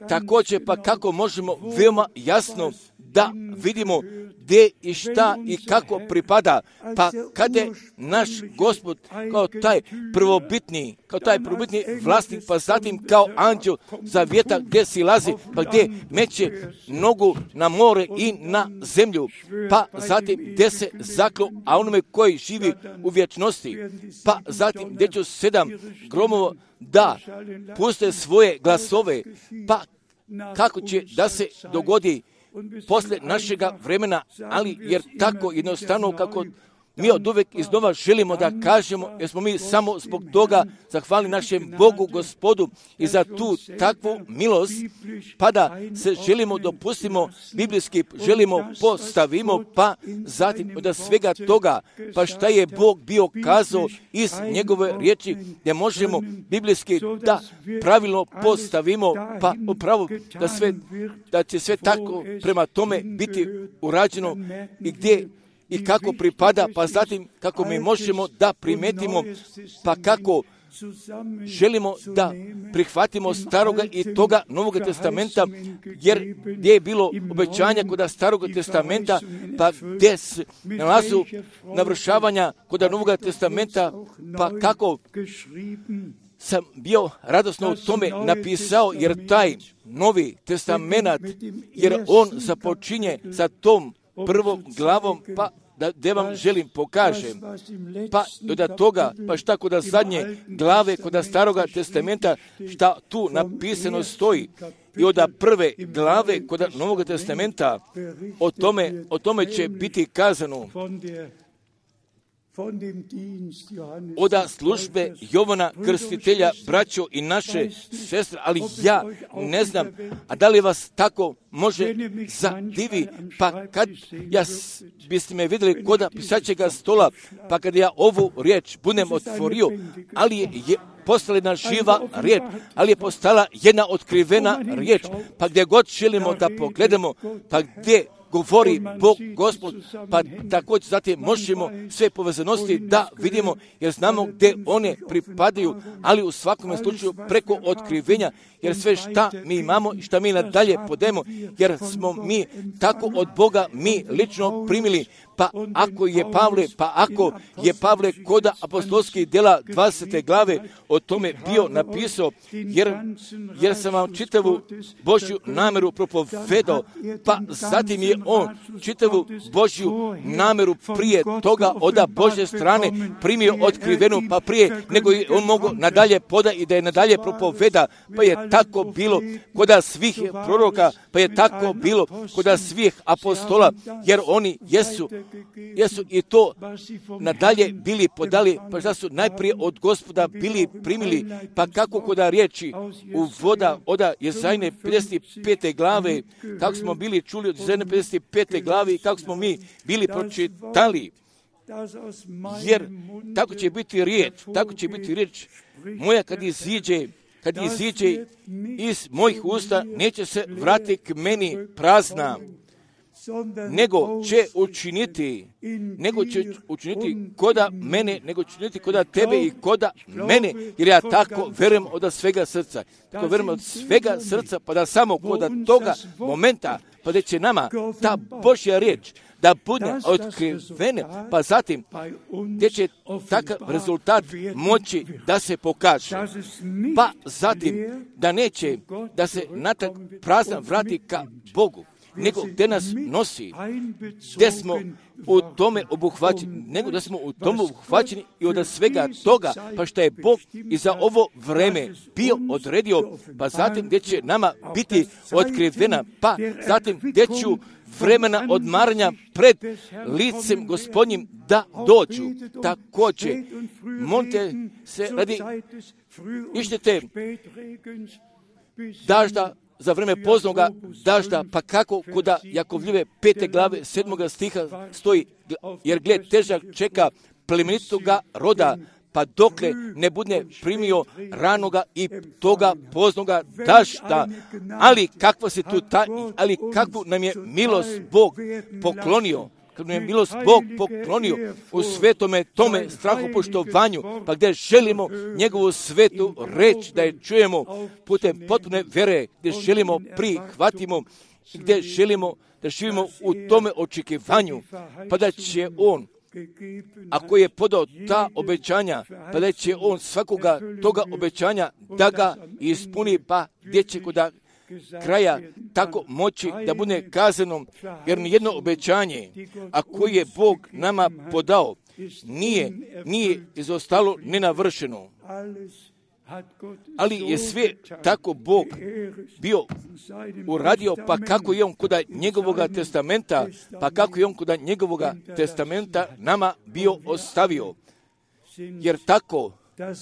Također, pa kako možemo veoma jasno da vidimo gdje i šta i kako pripada, pa kada je naš Gospod kao taj prvobitni, kao taj prvobitni vlasnik, pa zatim kao anđel zavjeta gdje silazi, pa gdje meće nogu na more i na zemlju, pa zatim gdje se zaklo, a onome koji živi u vječnosti, pa zatim gdje će sedam gromova da puste svoje glasove, pa kako će da se dogodi poslije našega vremena, ali jer tako jednostavno kako mi od uvek iznova želimo da kažemo, jer smo mi samo zbog toga zahvalni našem Bogu, Gospodu i za tu takvu milost, pa da se želimo dopustimo, biblijski želimo postavimo, pa zatim od svega toga, pa šta je Bog bio kazao iz njegove riječi, gdje možemo biblijski da pravilno postavimo, pa upravo da, sve, da će sve tako prema tome biti urađeno i gdje i kako pripada, pa zatim kako mi možemo da primetimo, pa kako želimo da prihvatimo staroga i toga Novoga testamenta, jer gdje je bilo obećanja kod Staroga testamenta, pa gdje se nalazu navršavanja kod Novoga testamenta, pa kako sam bio radosno u tome napisao, jer taj Novi testament, jer on započinje sa tom prvom glavom, pa da, da vam želim pokažem, pa od toga, pa šta kod zadnje glave, kod Staroga testamenta, šta tu napisano stoji, i od prve glave kod Novog testamenta, o tome, o tome će biti kazano, od službe Jovana Krstitelja, braćo i naše sestre, ali ja ne znam, a da li vas tako može zadivi, pa kad ja biste me vidjeli kod pisaćega stola, pa kad ja ovu riječ budem otvorio, ali je, je postala jedna živa riječ, ali je postala jedna otkrivena riječ, pa gdje god želimo da pogledamo, pa gdje govori Bog, Gospod, pa također zatim možemo sve povezanosti da vidimo, jer znamo gdje one pripadaju, ali u svakom slučaju preko otkrivenja, jer sve šta mi imamo i šta mi nadalje podemo, jer smo mi tako od Boga mi lično primili, pa ako je Pavle, pa ako je Pavle kod apostolskih djela dvadesete glave o tome bio napisao, jer, jer sam vam čitavu Božju namjeru propovedao, pa zatim je on čitavu Božju nameru prije toga od Božje strane primio otkrivenu, pa prije nego je on mogu nadalje poda i da je nadalje propoveda, pa je tako bilo kod svih proroka, pa je tako bilo kod svih apostola, jer oni jesu, jesu i to nadalje bili podali, pa šta su najprije od Gospoda bili primili, pa kako kod riječi u voda od Jezajne pedeset pete glave, kako smo bili čuli od Jezajne pedeset pete glave i kako smo mi bili pročitali, jer tako će biti riječ, tako će biti riječ moja kad iziđe, kad iziđe iz mojih usta, neće se vratiti k meni prazna, nego će učiniti, nego će učiniti koda mene, nego će učiniti koda tebe i koda mene, jer ja tako verujem od svega srca. Tako verujem od svega srca, pa da samo koda toga momenta, pa da će nama ta Božja riječ da bude otkrivena, pa zatim gdje će takav rezultat moći da se pokaže. Pa zatim da neće da se natrag prazan vrati ka Bogu, nego gdje nas nosi, gdje smo u tome obuhvaćeni, nego da smo u tome obuhvaćeni i od svega toga, pa što je Bog i za ovo vreme bio odredio, pa zatim gdje će nama biti otkrivena, pa zatim gdje ću vremena odmaranja pred licem Gospodnjim da dođu. Također, molite se radi ištete dažda za vreme poznoga dažda, pa kako kuda Jakovljeve pete glave sedmoga stiha stoji, jer gled težak čeka plemenitoga roda, pa dokle ne bude primio ranoga i toga poznoga dažda. Ali kakva se tu ta, ali kakvu nam je milost Bog poklonio, kad nam je milost Bog poklonio u svetome tome strahopoštovanju, pa gdje želimo njegovu svetu reč da je čujemo putem potpune vere, gdje želimo prihvatimo, gdje želimo da živimo u tome očekivanju, pa da će on, ako je podao ta obećanja, pa da će on svakoga toga obećanja da ga ispuni, pa gdje će kod kraja tako moći da bude kazano, jer nijedno obećanje, a koje je Bog nama podao, nije, nije izostalo nenavršeno. Ali je sve tako Bog bio uradio, pa kako je on kod njegovoga testamenta, pa kako je on kod njegovoga testamenta nama bio ostavio. Jer tako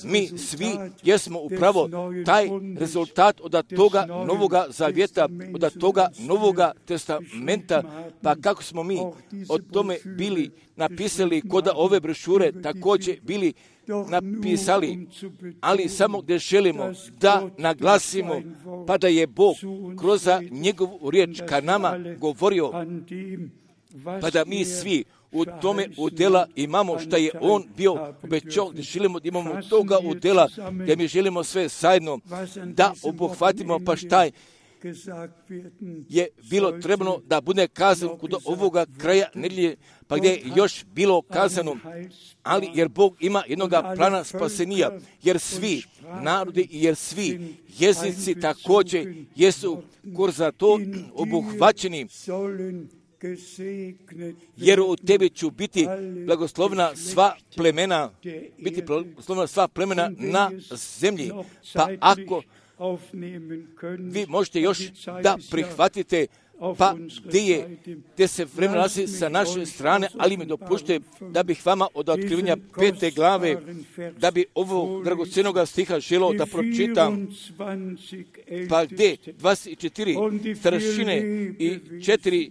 mi svi jesmo upravo taj rezultat od toga novoga zavjeta, od toga novoga testamenta, pa kako smo mi o tome bili napisali kod ove brošure, također bili napisali, ali samo gdje želimo da naglasimo, pa da je Bog kroz njegovu riječ ka nama govorio, pa da mi svi u tome udjela imamo što je on bio obećao, gdje želimo da imamo toga udjela, gdje mi želimo sve zajedno da obuhvatimo, pa šta je bilo trebno da bude kazano kod ovoga kraja nedjelje, pa gdje je još bilo kazano, ali jer Bog ima jednoga plana spasenija, jer svi narodi i jer svi jezici također jesu kroz to obuhvaćeni, jer u tebi ću biti blagoslovna sva plemena, biti blagoslovna sva plemena na zemlji. Pa ako vi možete još da prihvatite, pa gdje je, gdje se vremena nalazi sa naše strane, ali mi dopušte da bih vama od otkrivenja pete glave, da bi ovo dragocjenoga stiha želio da pročitam, pa gdje dvadeset četiri staršine i četiri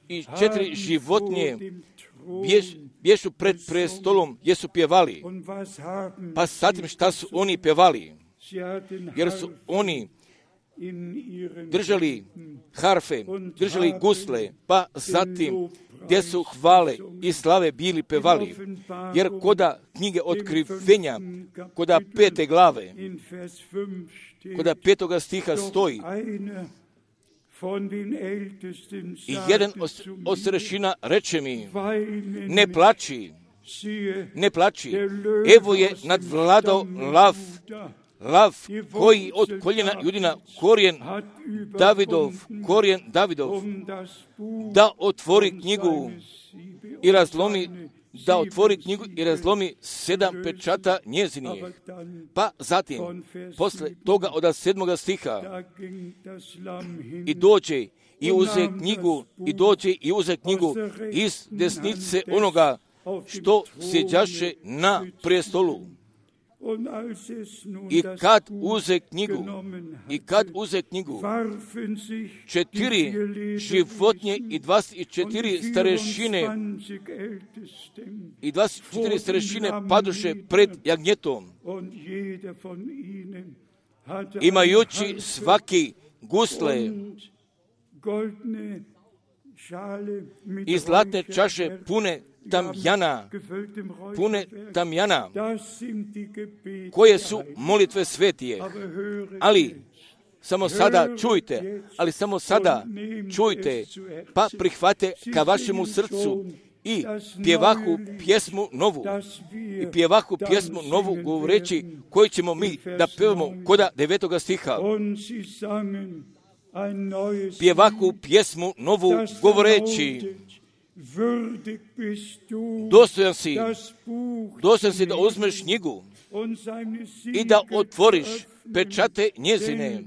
i četiri životinje bješ, bješu pred prestolom, jesu pjevali. Pa zatim šta su oni pjevali? Jer su oni držali harfe, držali gusle, pa zatim gdje su hvale i slave bili pevali. Jer koda knjige otkrivenja, koda pete glave, koda petoga stiha stoji, i jedan od starešina reče mi, ne plači, ne plači, evo je nadvladao lav lav koji od koljena Judina, korijen Davidov, korijen Davidov, da otvori knjigu i razlomi, da otvori knjigu i razlomi sedam pečata njezinih. Pa zatim, posle toga od sedmoga stiha, i dođe i uze knjigu, i dođe i uze knjigu iz desnice onoga što sjeđaše na prestolu. I kad uze knjigu, i kad uze knjigu, četiri životinje i dvadeset četiri starešine i dvadeset četiri starešine padoše pred jagnjetom, imajući svaki gusle i zlatne čaše pune tamjana, pune tamjana, koje su molitve svetije. Ali samo sada čujte, ali samo sada čujte, pa prihvate ka vašemu srcu i pjevahu pjesmu novu, i pjevahu pjesmu novu govoreći koju ćemo mi da pevamo koda devetoga stiha. Pjevahu pjesmu novu govoreći, dostojan si, dostojan si da uzmeš knjigu i da otvoriš pečate njezine,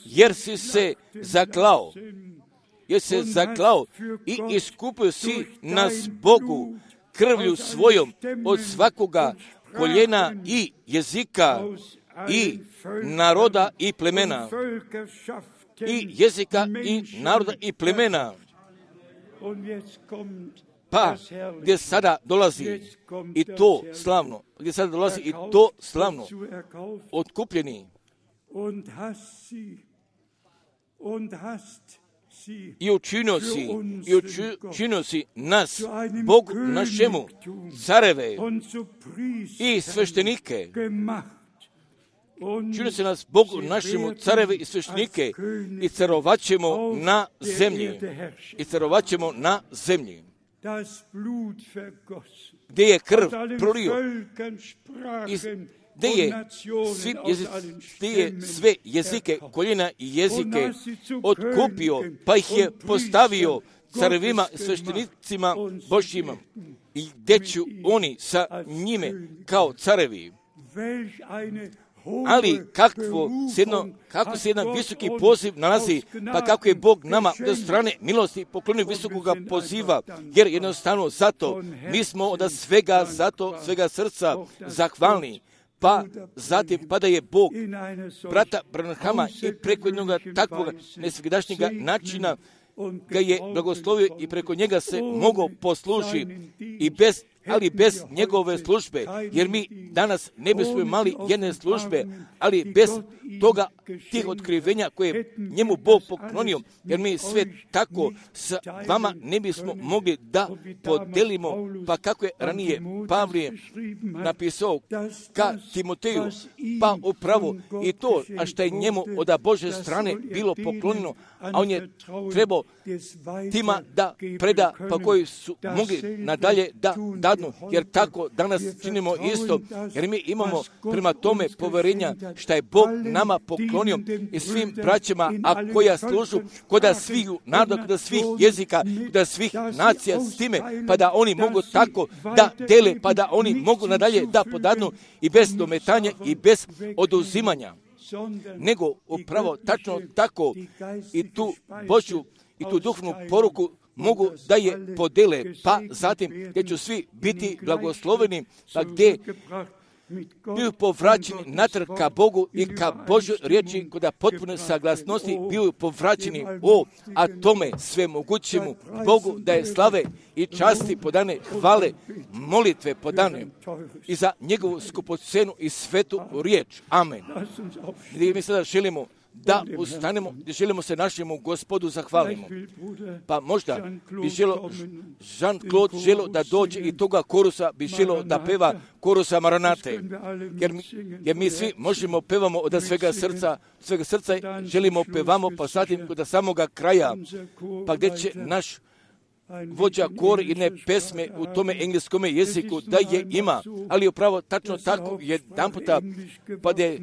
jer si se zaklao, jer se zaklao i iskupio si nas Bogu krvlju svojom od svakoga koljena i jezika i naroda i plemena, i jezika i naroda i plemena. Pa, gdje sada dolazi i to slavno, gdje sada dolazi i to slavno, otkupljeni, i učinio si, i učinio si nas, Bogu našemu, careve i sveštenike, činio se nas Bogu našemu, careve i sveštenike, i carovat ćemo na zemlji, i carovat ćemo na zemlji, gdje je krv prolio, i gdje je, svi jezici, gdje je sve jezike, koljena i jezike otkupio, pa ih je postavio carevima i sveštenicima Božjima, i gdje ću oni sa njime kao carevi. Ali kakvo se jedno, kako se jedan visoki poziv nalazi, pa kako je Bog nama od strane milosti poklonio visokoga poziva, jer jednostavno zato mi smo od svega, zato svega srca zahvalni. Pa zatim, pa da je Bog brata Branhama i preko jednog takvog nesvegdašnjega načina ga je blagoslovio i preko njega se mogao posluži i bez, ali bez njegove službe, jer mi danas ne bismo imali jedne službe, ali bez toga tih otkrivenja koje je njemu Bog poklonio, jer mi sve tako sa vama ne bismo mogli da podelimo, pa kako je ranije Pavlije napisao ka Timoteju, pa upravo i to, a što je njemu od Božje strane bilo poklonjeno, a on je trebao tima da preda, pa koji su mogli nadalje da dadnu, jer tako danas činimo isto, jer mi imamo prema tome poverenja što je Bog nama poklonio i svim braćama, a koja služu koda svih naroda, koda svih jezika, koda svih nacija s time, pa da oni mogu tako da dele, pa da oni mogu nadalje da podadnu i bez dometanja i bez oduzimanja, nego upravo tačno tako i tu Božju i tu duhovnu poruku mogu da je podele, pa zatim gdje ću svi biti blagosloveni, pa gdje bio povraćeni natrag ka Bogu i ka Božoj riječi kod potpune saglasnosti bio povraćeni o, a tome sve mogućemu Bogu da je slave i časti podane, hvale, molitve podane i za njegovu skupocenu i svetu riječ. Amen. Gdje mi sada želimo da ustanemo, gdje želimo se našemu Gospodu zahvalimo. Pa možda bi želo, Jean-Claude želo da dođe i toga korusa bi želo da peva korusa Maranate. Jer mi, jer mi svi možemo pevamo od svega srca, svega srca želimo pevamo, pa zatim do samoga kraja, pa gdje će naš vođa kor jedne pesme u tome engleskome jeziku, da je ima, ali upravo tačno tako jedan puta, pa da je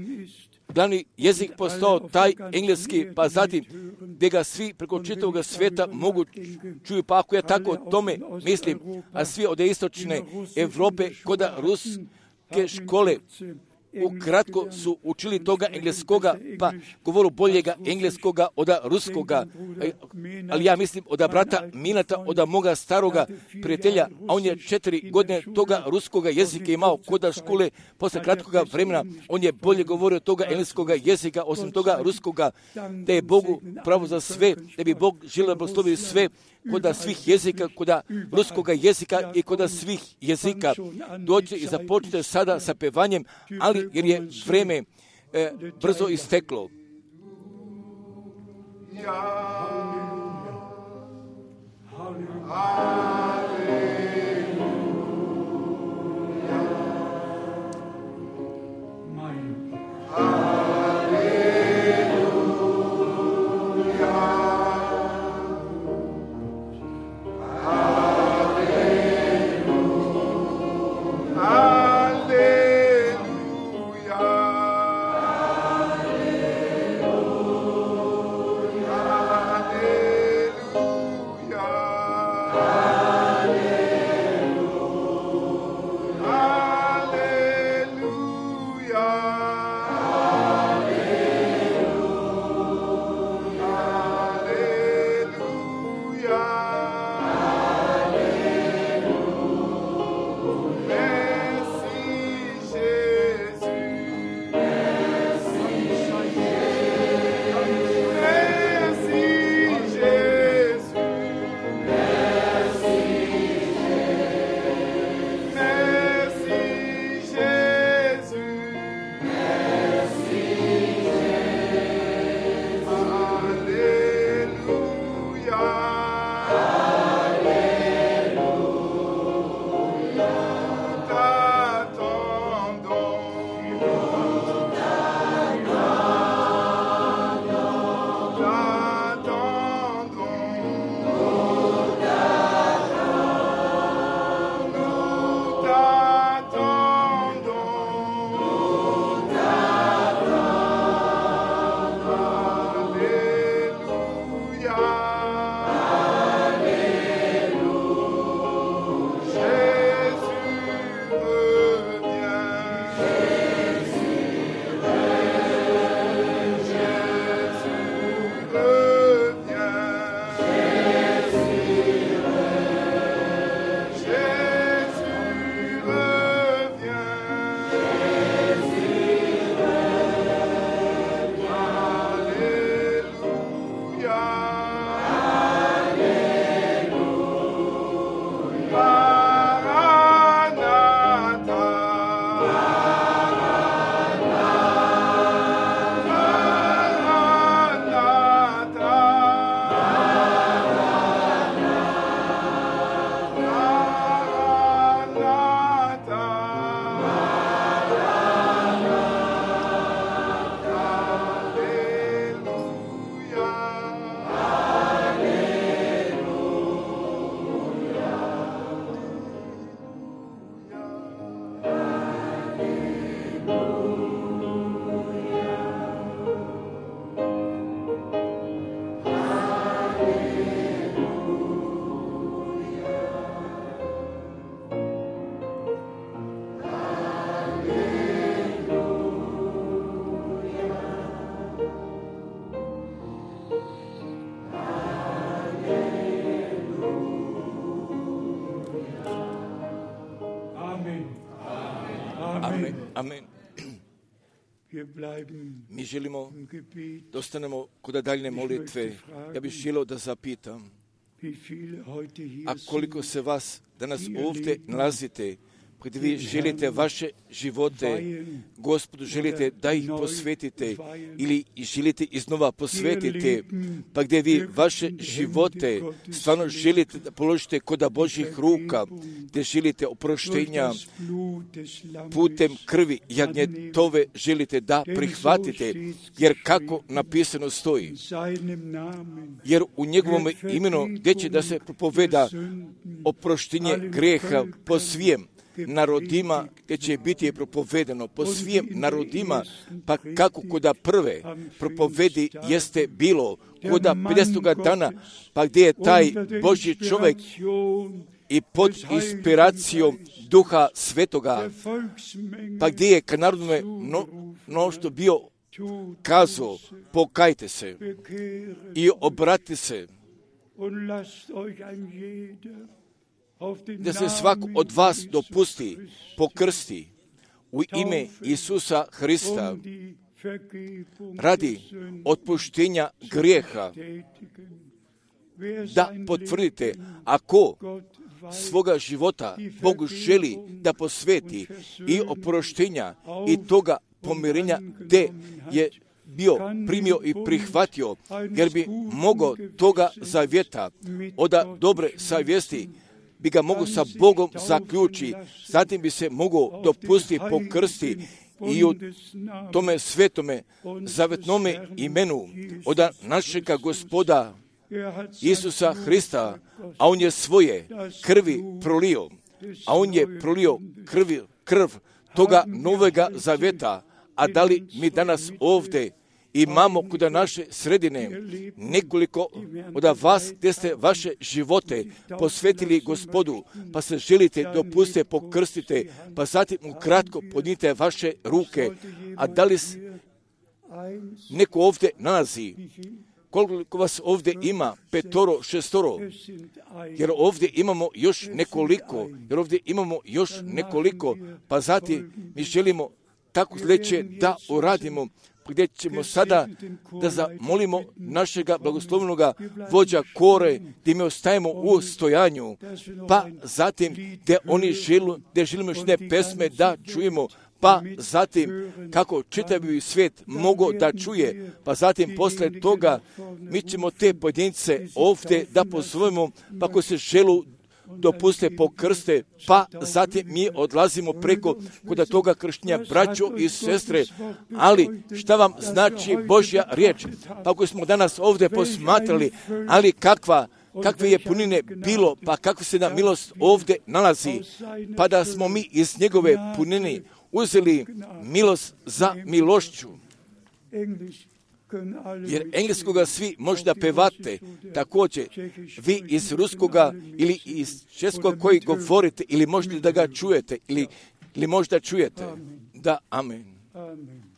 glavni jezik postao taj engleski, pa zatim gdje ga svi preko čitavog svijeta mogu čuju, pa ako ja tako o tome mislim, a svi od istočne Europe kod ruske škole ukratko su učili toga engleskoga, pa govoru boljega engleskoga od ruskoga, ali ja mislim od brata Minata, od moga staroga prijatelja, a on je četiri godine toga ruskoga jezika imao kod škole, posle kratkoga vremena, on je bolje govorio toga engleskoga jezika, osim toga ruskoga, da je Bogu pravo za sve, da bi Bog želio blagosloviti sve, kod svih jezika, kod ruskoga jezika i kod svih jezika. Dođe i započne sada sa pevanjem, ali jer je vreme e, brzo isteklo. Amen. Amen. Mi želimo da ostanemo kod daljne molitve. Ja bih želio da zapitam, a koliko se vas danas ovdje nalazite, gdje vi želite vaše živote, Gospodu želite da ih posvetite ili želite iznova posvetiti, pa gdje vi vaše živote stvarno želite da položite kod Božjih ruka, gdje želite oproštenja putem krvi jagnjetove želite da prihvatite, jer kako napisano stoji, jer u njegovom imenu gdje će da se propoveda oproštenje grijeha po svijem narodima, gdje će biti propovedano po svim narodima, pa kako koda prve propovedi jeste bilo, koda pedesetoga dana, pa gdje je taj Božji čovjek i pod inspiracijom Duha Svetoga, pa gdje je ka narodnome no, no što bio kazao, pokajte se i obratite se, da se svak od vas dopusti, pokrsti u ime Isusa Hrista radi otpuštenja grijeha, da potvrdite, ako svoga života Bogu želi da posveti i oproštenja i toga pomirenja gdje je bio primio i prihvatio, jer bi mogao toga zavjeta, oda dobre savjesti, bi ga mogu sa Bogom zaključi, zatim bi se mogao dopustiti pokrsti i u tome svetome zavetnome imenu od našega Gospoda Isusa Hrista, a on je svoje krvi prolio, a on je prolio krvi, krv toga novega zaveta. A da li mi danas ovdje imamo kod naše sredine nekoliko od vas gdje ste vaše živote posvetili Gospodu, pa se želite dopustiti pokrstite, pa zatim ukratko podnite vaše ruke. A da li neko ovdje nalazi? Koliko vas ovdje ima? Petoro, šestoro? Jer ovdje imamo još nekoliko, jer ovdje imamo još nekoliko, pa zatim mi želimo tako sljedeće da uradimo, gdje ćemo sada da zamolimo našega blagoslovnoga vođa kore, gdje mi ostajemo u stojanju, pa zatim gdje oni želu, gdje želimo još ne pesme da čujemo, pa zatim kako čitavi svijet mogo da čuje, pa zatim posle toga mi ćemo te pojedince ovdje da pozovemo, pa ko se želu dopuste pokrste, pa zatim mi odlazimo preko kod toga krštenja, braćo i sestre. Ali šta vam znači Božja riječ? Pa ako smo danas ovdje posmatrali, ali kakva kakve je punine bilo, pa kakva se nam milost ovdje nalazi, pa da smo mi iz njegove punine uzeli milost za milošću. Jer engleskoga svi možda pevate, također vi iz ruskoga ili iz českog koji govorite, ili možda da ga čujete, ili, ili možda čujete. Da, amen. Amen.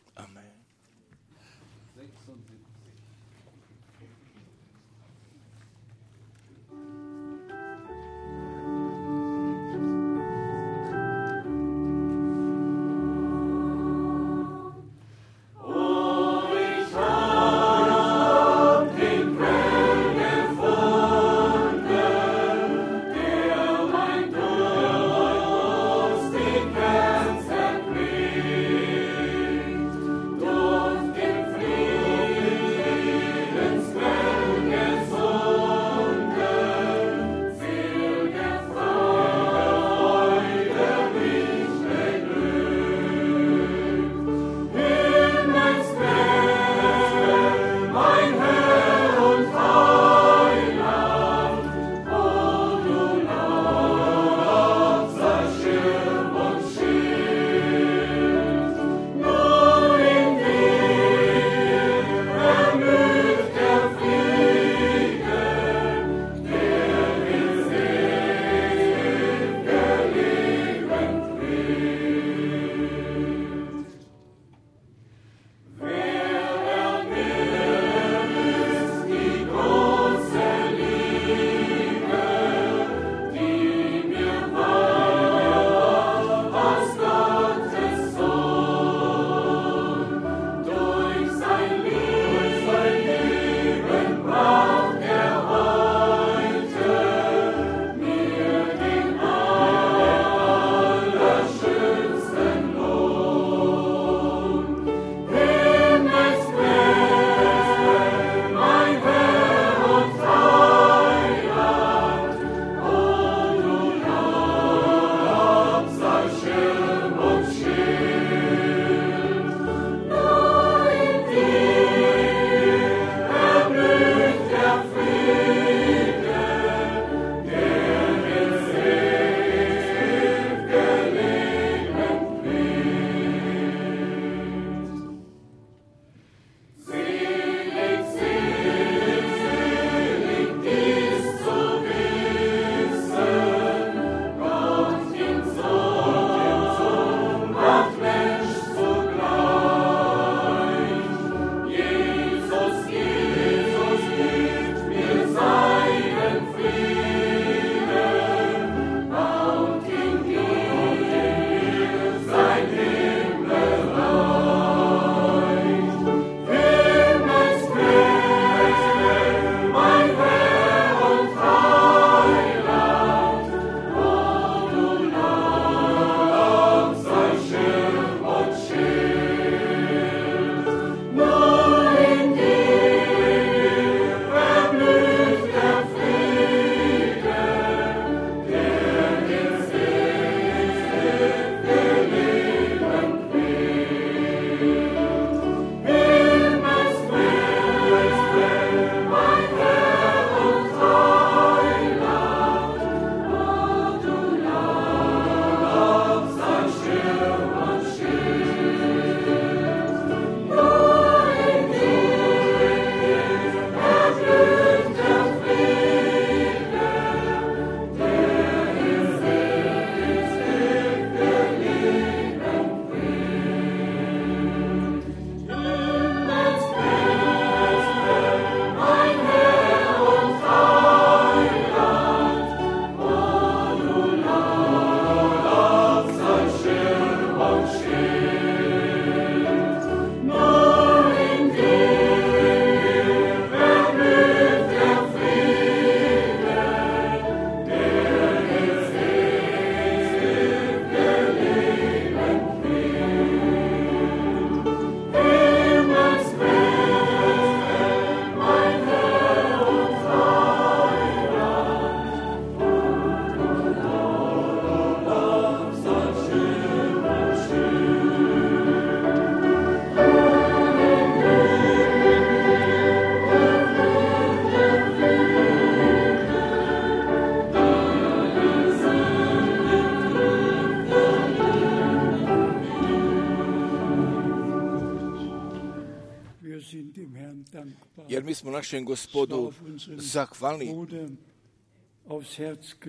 jer mi smo našem Gospodu zahvalni,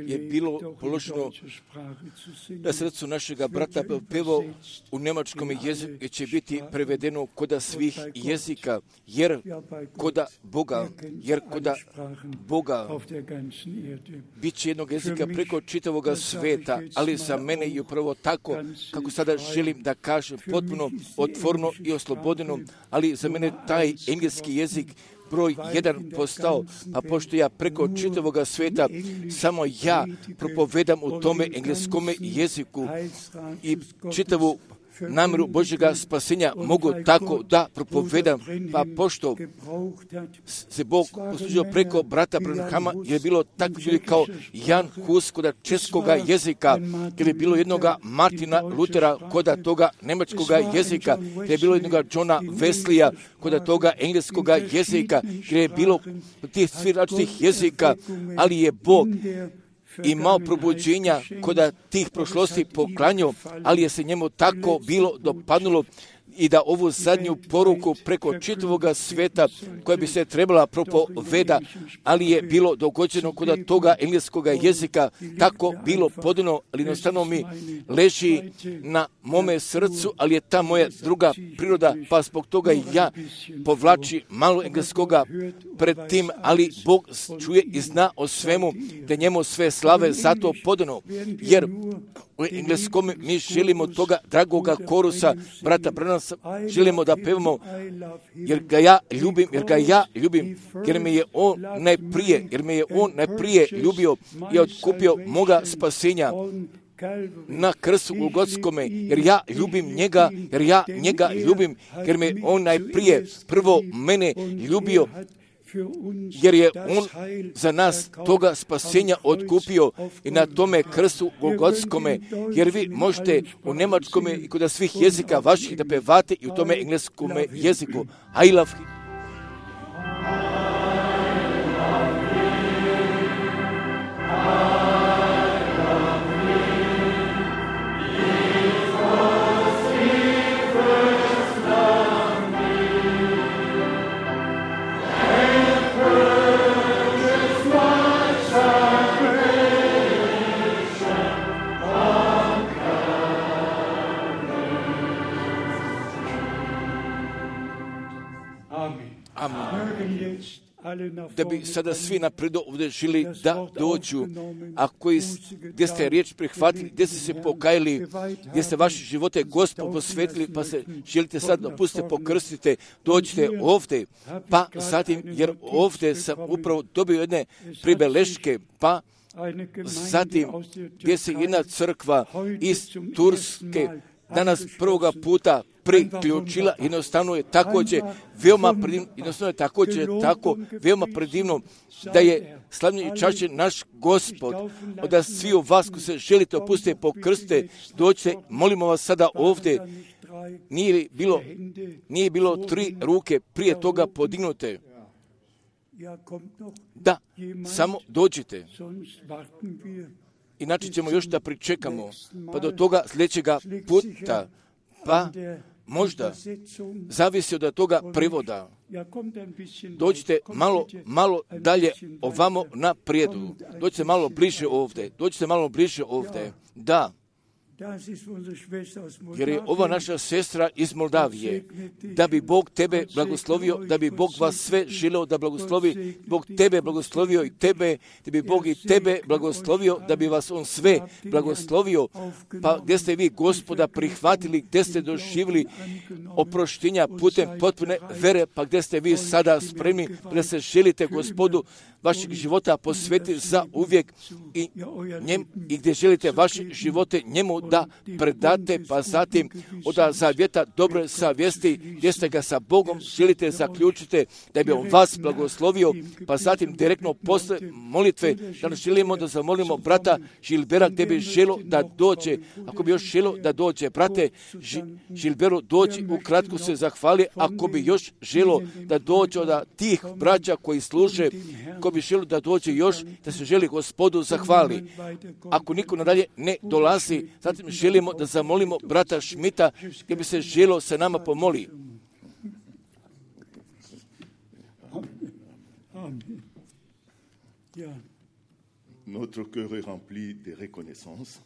je bilo položeno na srcu našega brata pevo u njemačkom jeziku će biti prevedeno koda svih jezika, jer koda Boga, jer koda Boga bit će jednog jezika preko čitavoga sveta, ali za mene je upravo tako, kako sada želim da kažem, potpuno otvoreno i oslobodeno, ali za mene taj engleski jezik broj jedan postao, a pošto ja preko čitavoga sveta samo ja propovedam u tome engleskome jeziku i čitavu namjeru Božjega spasenja mogu tako da propovedam, pa pošto se Bog poslužio preko brata Branhama, je bilo tako ljudi kao Jan Hus koda českoga jezika, jer je bilo jednoga Martina Lutera koda toga nemačkoga jezika, jer je bilo jednoga Johna Wesleya koda toga engleskoga jezika, jer je bilo tih svih različitih jezika, ali je Bog imao probuđenja koda tih prošlosti poklanjao, ali je se njemu tako bilo dopadnulo i da ovu zadnju poruku preko čitavoga sveta koja bi se trebala propoveda, ali je bilo dogođeno kod toga engleskoga jezika, tako bilo podano, ali jednostavno mi leži na mome srcu, ali je ta moja druga priroda, pa zbog toga i ja povlači malo engleskoga pred tim, ali Bog čuje i zna o svemu, da njemu sve slave zato podano, jer u engleskom mi želimo toga dragoga korusa, brata Branhama, želimo da pevamo, jer ga ja ljubim, jer ga ja ljubim, jer me je on najprije, jer me je on najprije ljubio i otkupio moga spasenja na krstu Golgotskome, jer ja ljubim njega, jer ja njega ljubim, jer me on najprije prvo mene ljubio, jer je on za nas toga spasenja otkupio i na tome krstu Golgotskome, jer vi možete u njemačkome i kod svih jezika vaših da pevate i u tome engleskome jeziku. I love him. Da bi sada svi napredo ovdje žili da dođu, a koji gdje ste riječ prihvatili, gdje ste se pokajali, gdje ste vaše živote Gospodu posvetili, pa se želite sad dopustite, pokrstite, dođite ovdje, pa zatim, jer ovdje sam upravo dobio jedne pribeleške, pa zatim gdje se jedna crkva iz Turske danas prvoga puta priključila, jednostavno je također veoma predivno, jednostavno je također tako veoma predivno da je slavni i čašćen naš Gospod, da svi u vas koji se želite opustiti pokrste, dođite, molimo vas sada ovdje, nije bilo, nije bilo tri ruke prije toga podignute. Da, samo dođite. Inače ćemo još da pričekamo, pa do toga sljedećega puta, pa možda zavisi od toga prevoda. Dođite malo, malo dalje ovamo na prijedu. Dođite malo bliže ovdje. Dođite malo bliže ovdje. Da. Jer je ova naša sestra iz Moldavije, da bi Bog tebe blagoslovio, da bi Bog vas sve želeo da blagoslovi, Bog tebe blagoslovio i tebe, da bi Bog i tebe blagoslovio, da bi vas on sve blagoslovio, pa gdje ste vi Gospoda prihvatili, gdje ste doživjeli oproštenja putem potpune vere, pa gdje ste vi sada spremni da se želite Gospodu vašeg života posvetiti za uvijek i, njem, i gdje želite vaše živote njemu da predate, pa zatim od zavjeta dobre savjesti, gdje ste ga sa Bogom želite zaključite, da bi on vas blagoslovio, pa zatim direktno posle molitve, da želimo da zamolimo brata Žilbera, gdje bi želo da dođe, ako bi još želo da dođe, brate Žilberu, dođi, ukratko se zahvali, ako bi još želo da dođe od tih braća koji služe, ko bi želo da dođe još, da se želi Gospodu zahvali. Ako niko nadalje ne dolazi, zatim želimo da zamolimo brata Šmita, gdje bi se želo se nama pomoli. Ja, Notre cœur est rempli de reconnaissance.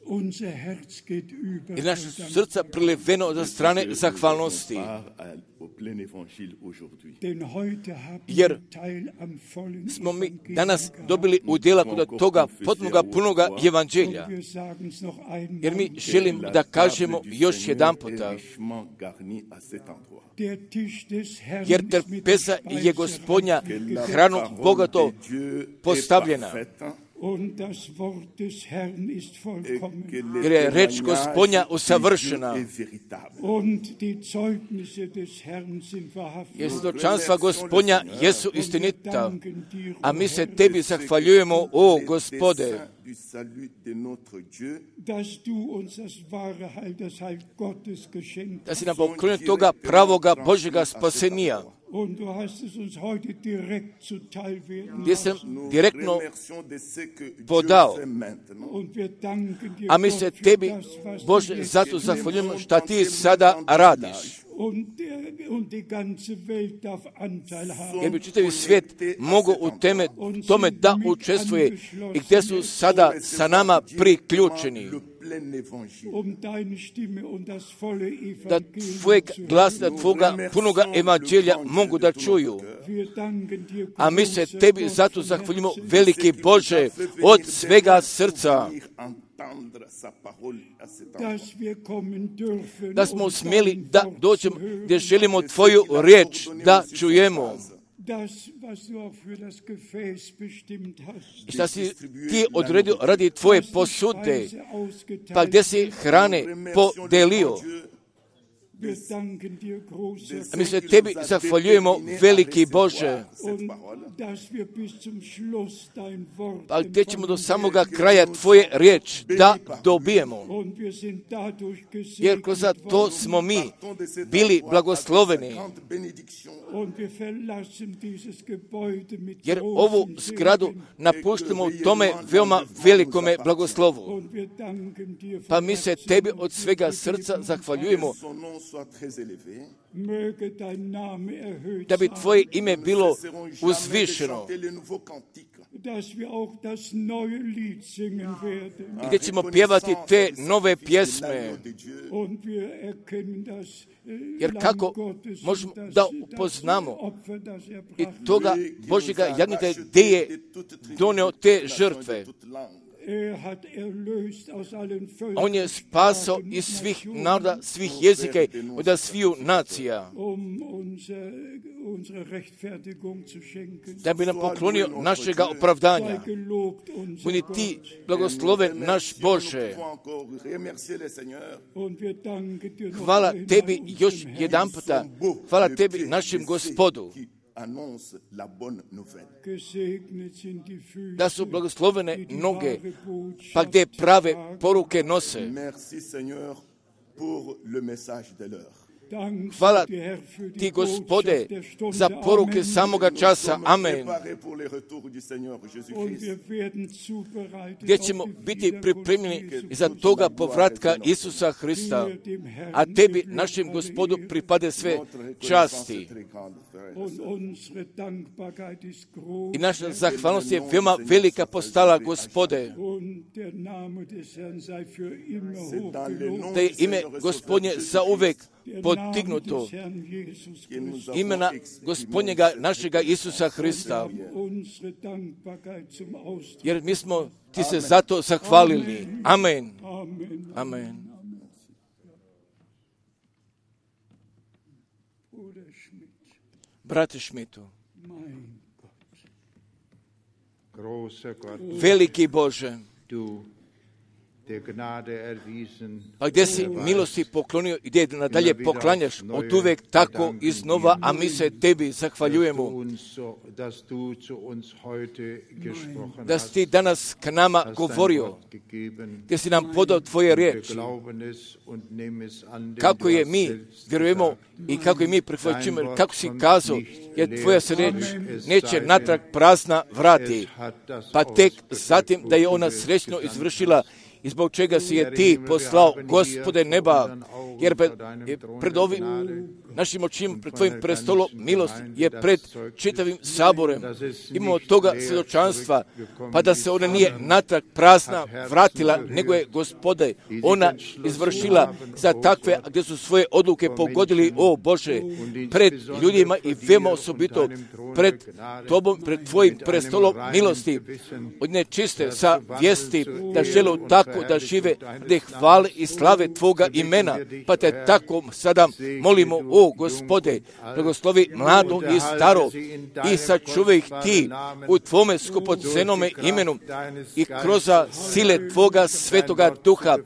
unser Herz geht über. I naše srca priliveno od strane zahvalnosti. Part à- au plein évangile aujourd'hui. Denn heute haben Jer wir Teil am vollen smo mi Evangelium danas gehabt. dobili udjela kod toga potpunoga punoga evanđelja. Und wir sagen's noch einmal. Jer mi želim da kažemo još jedan puta, Richement garni à cet endroit. Der Tisch des Herrn jer ist mit trpeza der je Gospodnja Speise hranu Parole bogato de Dieu est postavljena. parfaite, und das Wort des Herrn ist et vollkommen. que les Jer je reč témoignages Gospodnja de Dieu usavršena. est véritable. Und die Zeugnisse des Herrn sind wahrhaftig. Jer svjedočanstva Gospodnja jesu Und wir istinita. danken dir, A o mi se Herr, tebi zahvaljujemo, o Les Gospode, desseins du salut de notre Dieu dass du uns das wahre Heil, das Heil Gottes geschenkt da hast. si nam poklonio toga pravoga Božjega spasenija, Und du hast es uns heute direkt zuteil werden gdje sam lassen. Nous direktno remercions de ce que Dieu podao. fait maintenant. Und wir danken dir, A mi Gott, se für tebi, das, was du Bože, jetzt zato tust. zahvaljujemo šta ti sada radiš. Und, der, und die ganze Welt darf Anteil haben. Jer bi čitavi svijet mogao u teme, tome da učestvuje i gdje su sada sa nama priključeni. Le plein évangile. Um deine Stimme und das volle Da Evangelium tvojeg zu glasa, hören. tvoga punoga evanđelja mogu da čuju. Wir danken dir, A mi se großer tebi Gott zato von zahvaljujemo, Herzen. veliki Bože, od svega srca, Entendre sa parole à cet endroit. dass wir kommen dürfen, da smo um smjeli dein da Wort dođemo zu hören. gdje želimo tvoju riječ da čujemo. Das, was du auch für das Gefäß bestimmt hast. I šta si ti odredio radi tvoje posude, pa gdje si hrane podelio. Wir danken dir, großer A mi se tebi zahvaljujemo, veliki Bože, und dass wir bis zum Schluss dein Wort pa gdje ćemo do empfangen samoga kraja tvoje riječ da dobijemo. und wir sind dadurch Jer kroz gesegnet to worden smo mi bili blagosloveni. und wir verlassen dieses Gebäude mit Jer großen ovu zgradu Segen napuštamo u tome veoma velikome blagoslovu. und wir danken dir Pa von mi se Herzen tebi und od svega bitten srca dich, zahvaljujemo Son nom soit très élevé. möge dein Name erhöht da bi sein, tvoje ime bilo Nous ne cesserons jamais de uzvišeno, chanter les nouveaux cantiques. dass wir auch das neue Lied singen werden. gdje ćemo pjevati te nove pjesme. Und wir erkennen das äh, Jer Lamm kako Gottes možemo und das, da das upoznamo Opfer, das er i brachte. toga Božjega jagnjeta gdje je donio te žrtve. Er hat erlöst aus allen Völkern, On je spasao iz svih naroda, svih jezika i od sviju nacija, um unser, unsere Rechtfertigung zu schenken. da bi nam poklonio našega opravdanja. Sei gelobt, unser Budi Gott. ti blagosloven naš Bože. Und wir danken dir noch Hvala einmal, tebi unserem još Herrn. jedan puta. Hvala tebi našem Gospodu. Gesegnet sind die Füße, Da su blagoslovene die die noge, wahre Botschaft pa gdje prave tragen. poruke nose. Merci Seigneur pour le message de l'heure. Dank Hvala sei dir, Herr, für die ti, Gospode, Botschaft der Stunde. za poruke Amen. samoga časa. Amen. Préparés pour les retours du Seigneur Und Jésus-Christ. wir werden zubereitet Gdje auf ćemo die biti Wiederkunft pripremljeni Jesu za toga povratka Isusa Hrista. Dir, dem Herrn, A tebi, die našem Lob, Gospodu, alle Ehre. pripade sve Notre reconnaissance časti. est très grande, frères et Und sœurs. unsere Dankbarkeit ist groß. I naša zahvalnost je veoma velika postala, Gospode, Und der Name des Herrn sei für immer C'est dans le nom hochgelobt. da je du ime Seigneur et Gospodnje Sauveur za uvek Der Name podignuto. des Herrn Jesus que nous Christus. avons Imena exprimé Gospodnjega našega Isusa Hrista. haben unsere Dankbarkeit zum Ausdruck. Jer mi smo ti se zato zahvalili. Amen. Amen. Amen. Bruder Schmidt, Brate Šmitu, mein Gott. Großer Gott, veliki Bože, du der Gnade erwiesen, pa gdje si milosti poklonio i gdje nadalje poklanjaš od uvek tako iznova, a mi se tebi dass du, zahvaljujemo. uns so, dass du zu uns heute gesprochen Da si hast, ti danas k nama hast dein govorio, Wort gegeben, gdje si nam podao tvoje wir riječi. glauben es und nehmen es an, denn Kako du je hast mi selbst vjerujemo gesagt, i kako je mi prihvaćujemo, kako si kazao, jer tvoja se riječ neće natrag prazna vrati, es hat das pa tek ausgewirkt, zatim da je wozu ona du es srećno gesandt izvršila i zbog čega si je ti poslao, Gospode neba, jer pred, pred ovim našim očima, pred tvojim prestolom milosti je pred čitavim saborem. Imamo toga svjedočanstva, pa da se ona nije natrag prazna vratila, nego je, Gospode, ona izvršila za takve gdje su svoje odluke pogodili, o Bože, pred ljudima i veoma osobito pred Tobom, pred Tvojim prestolom milosti, od nečiste sa vijesti da žele tako da žive, da hvale i slave Tvoga imena, pa te tako sada molimo, o Gospode, blagoslovi mlado i staro i sačuvaj ih Ti u Tvome skupocenome imenu i kroz sile Tvoga svetoga duha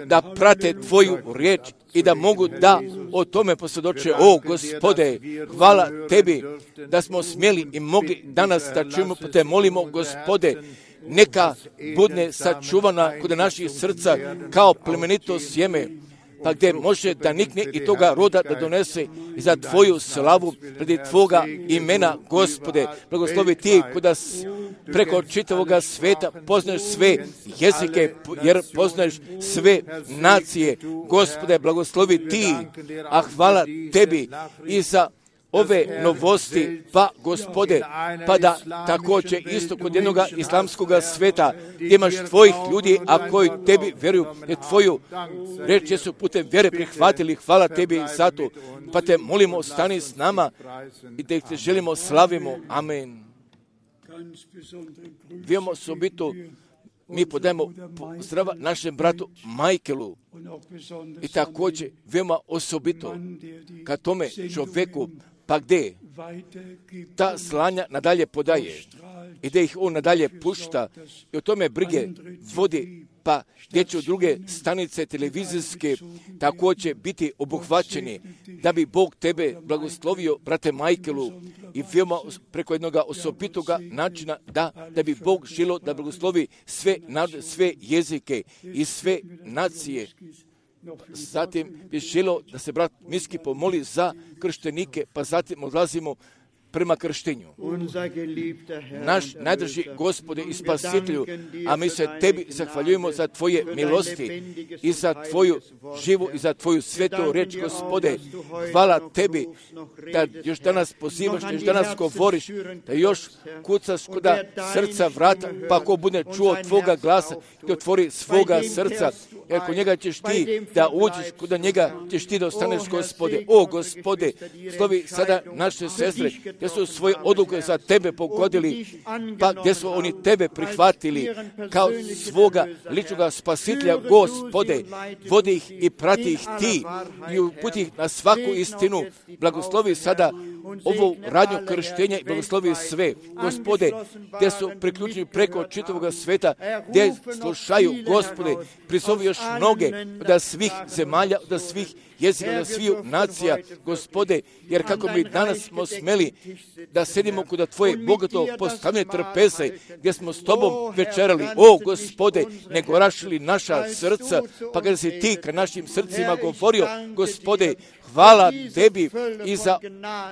da prate Tvoju riječ i da mogu da o tome posvjedoče. O Gospode, hvala Tebi da smo smjeli i mogli danas da čujemo, pa te molimo, Gospode, neka budne sačuvana kod naših srca kao plemenito sjeme, pa gdje može da nikne i toga roda da donese i za Tvoju slavu radi Tvoga imena, Gospode. Blagoslovi Ti kuda preko čitavoga sveta poznaješ sve jezike, jer poznaješ sve nacije. Gospode, blagoslovi Ti, a hvala Tebi i za ove novosti, pa Gospode, pa da također isto kod jednog islamskog sveta gdje imaš Tvojih ljudi, a koji Tebi vjeruju, jer Tvoju reč su putem vjere prihvatili, hvala Tebi za to, pa te molimo, stani s nama i da ih te želimo, slavimo, amen. Vijemo osobito, mi podajemo zdrava našem bratu Michaelu i također veoma osobito ka tome čovjeku, pa gdje ta slanja nadalje podaje i da ih on nadalje pušta i o tome brige vodi, pa gdje će druge stanice televizijske također biti obuhvaćeni, da bi Bog tebe blagoslovio, brate Michaelu, i veoma preko jednog osobitoga načina da, da bi Bog želio da blagoslovi sve, sve jezike i sve nacije. Zatim bi želio da se brat Miski pomoli za krštenike, pa zatim odlazimo prema krštenju. Naš najdrži Gospode i Spasitelju, a mi se Tebi zahvaljujemo za Tvoje milosti i za Tvoju živu i za Tvoju svetu reč, Gospode. Hvala Tebi da još danas pozivaš, da još danas govoriš, da još kucaš kuda srca vrata, pa ko bude čuo Tvoga glasa i otvori svoga srca, jer kod njega ćeš Ti da uđeš, kuda njega ćeš Ti da ostaneš, Gospode. O Gospode, slovi sada naše sestre, gdje su svoje odluke za Tebe pogodili, pa gdje su oni Tebe prihvatili kao svoga ličnoga spasitelja, Gospode, vodi ih i prati ih Ti i uputi ih na svaku istinu. Blagoslovi sada ovu radnju krštenja i blagoslovi sve, Gospode, gdje su priključeni preko čitavog sveta, gdje slušaju, Gospode, prizovi još mnoge da svih zemalja, da svih jezika, da svih nacija, Gospode, jer kako mi danas smo smeli da sedimo kod Tvoje bogato postavljene trpeze, gdje smo s Tobom večerali, o Gospode, ne gorašili naša srca, pa kada si Ti ka našim srcima govorio, Gospode, hvala Tebi i za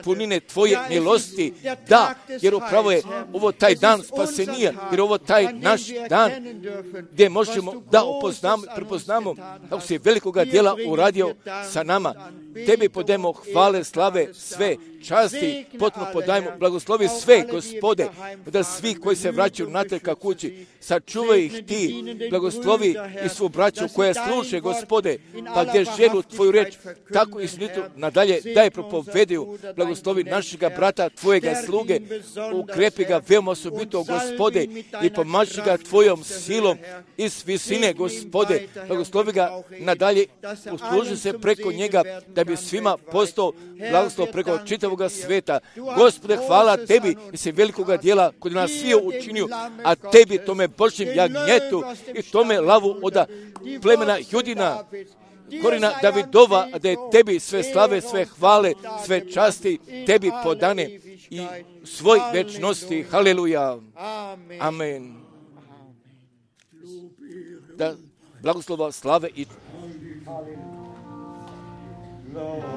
punine Tvoje milosti, da, jer upravo je ovo taj dan spasenija, jer ovo taj naš dan gdje možemo da upoznamo, prepoznamo kako si velikoga djela uradio sa nama. Tebi podajemo hvale, slave, sve časti, potpuno podajemo, blagoslovi sve, Gospode, da svi koji se vraćaju natrag ka kući, sačuvaj ih Ti, blagoslovi i svu braću koja sluše, Gospode, pa gdje želu Tvoju reč, tako i slitu nadalje, daj propovediju, blagoslovi našega brata, Tvojega sluge, ukrepi ga veoma osobito, Gospode, i pomaži ga Tvojom silom iz visine, Gospode, blagoslovi ga nadalje, usluži se preko njega, da bi svima postao blagoslov preko čitavog sveta. Gospode, hvala Tebi i se velikoga djela kod nas svi učinio, a Tebi tome Božjem jagnjetu i tome lavu od plemena Judina, korina Davidova, da je Tebi sve slave, sve hvale, sve časti Tebi podane i svoj večnosti. Haleluja. Amen. Da blagoslova, slave i Lord.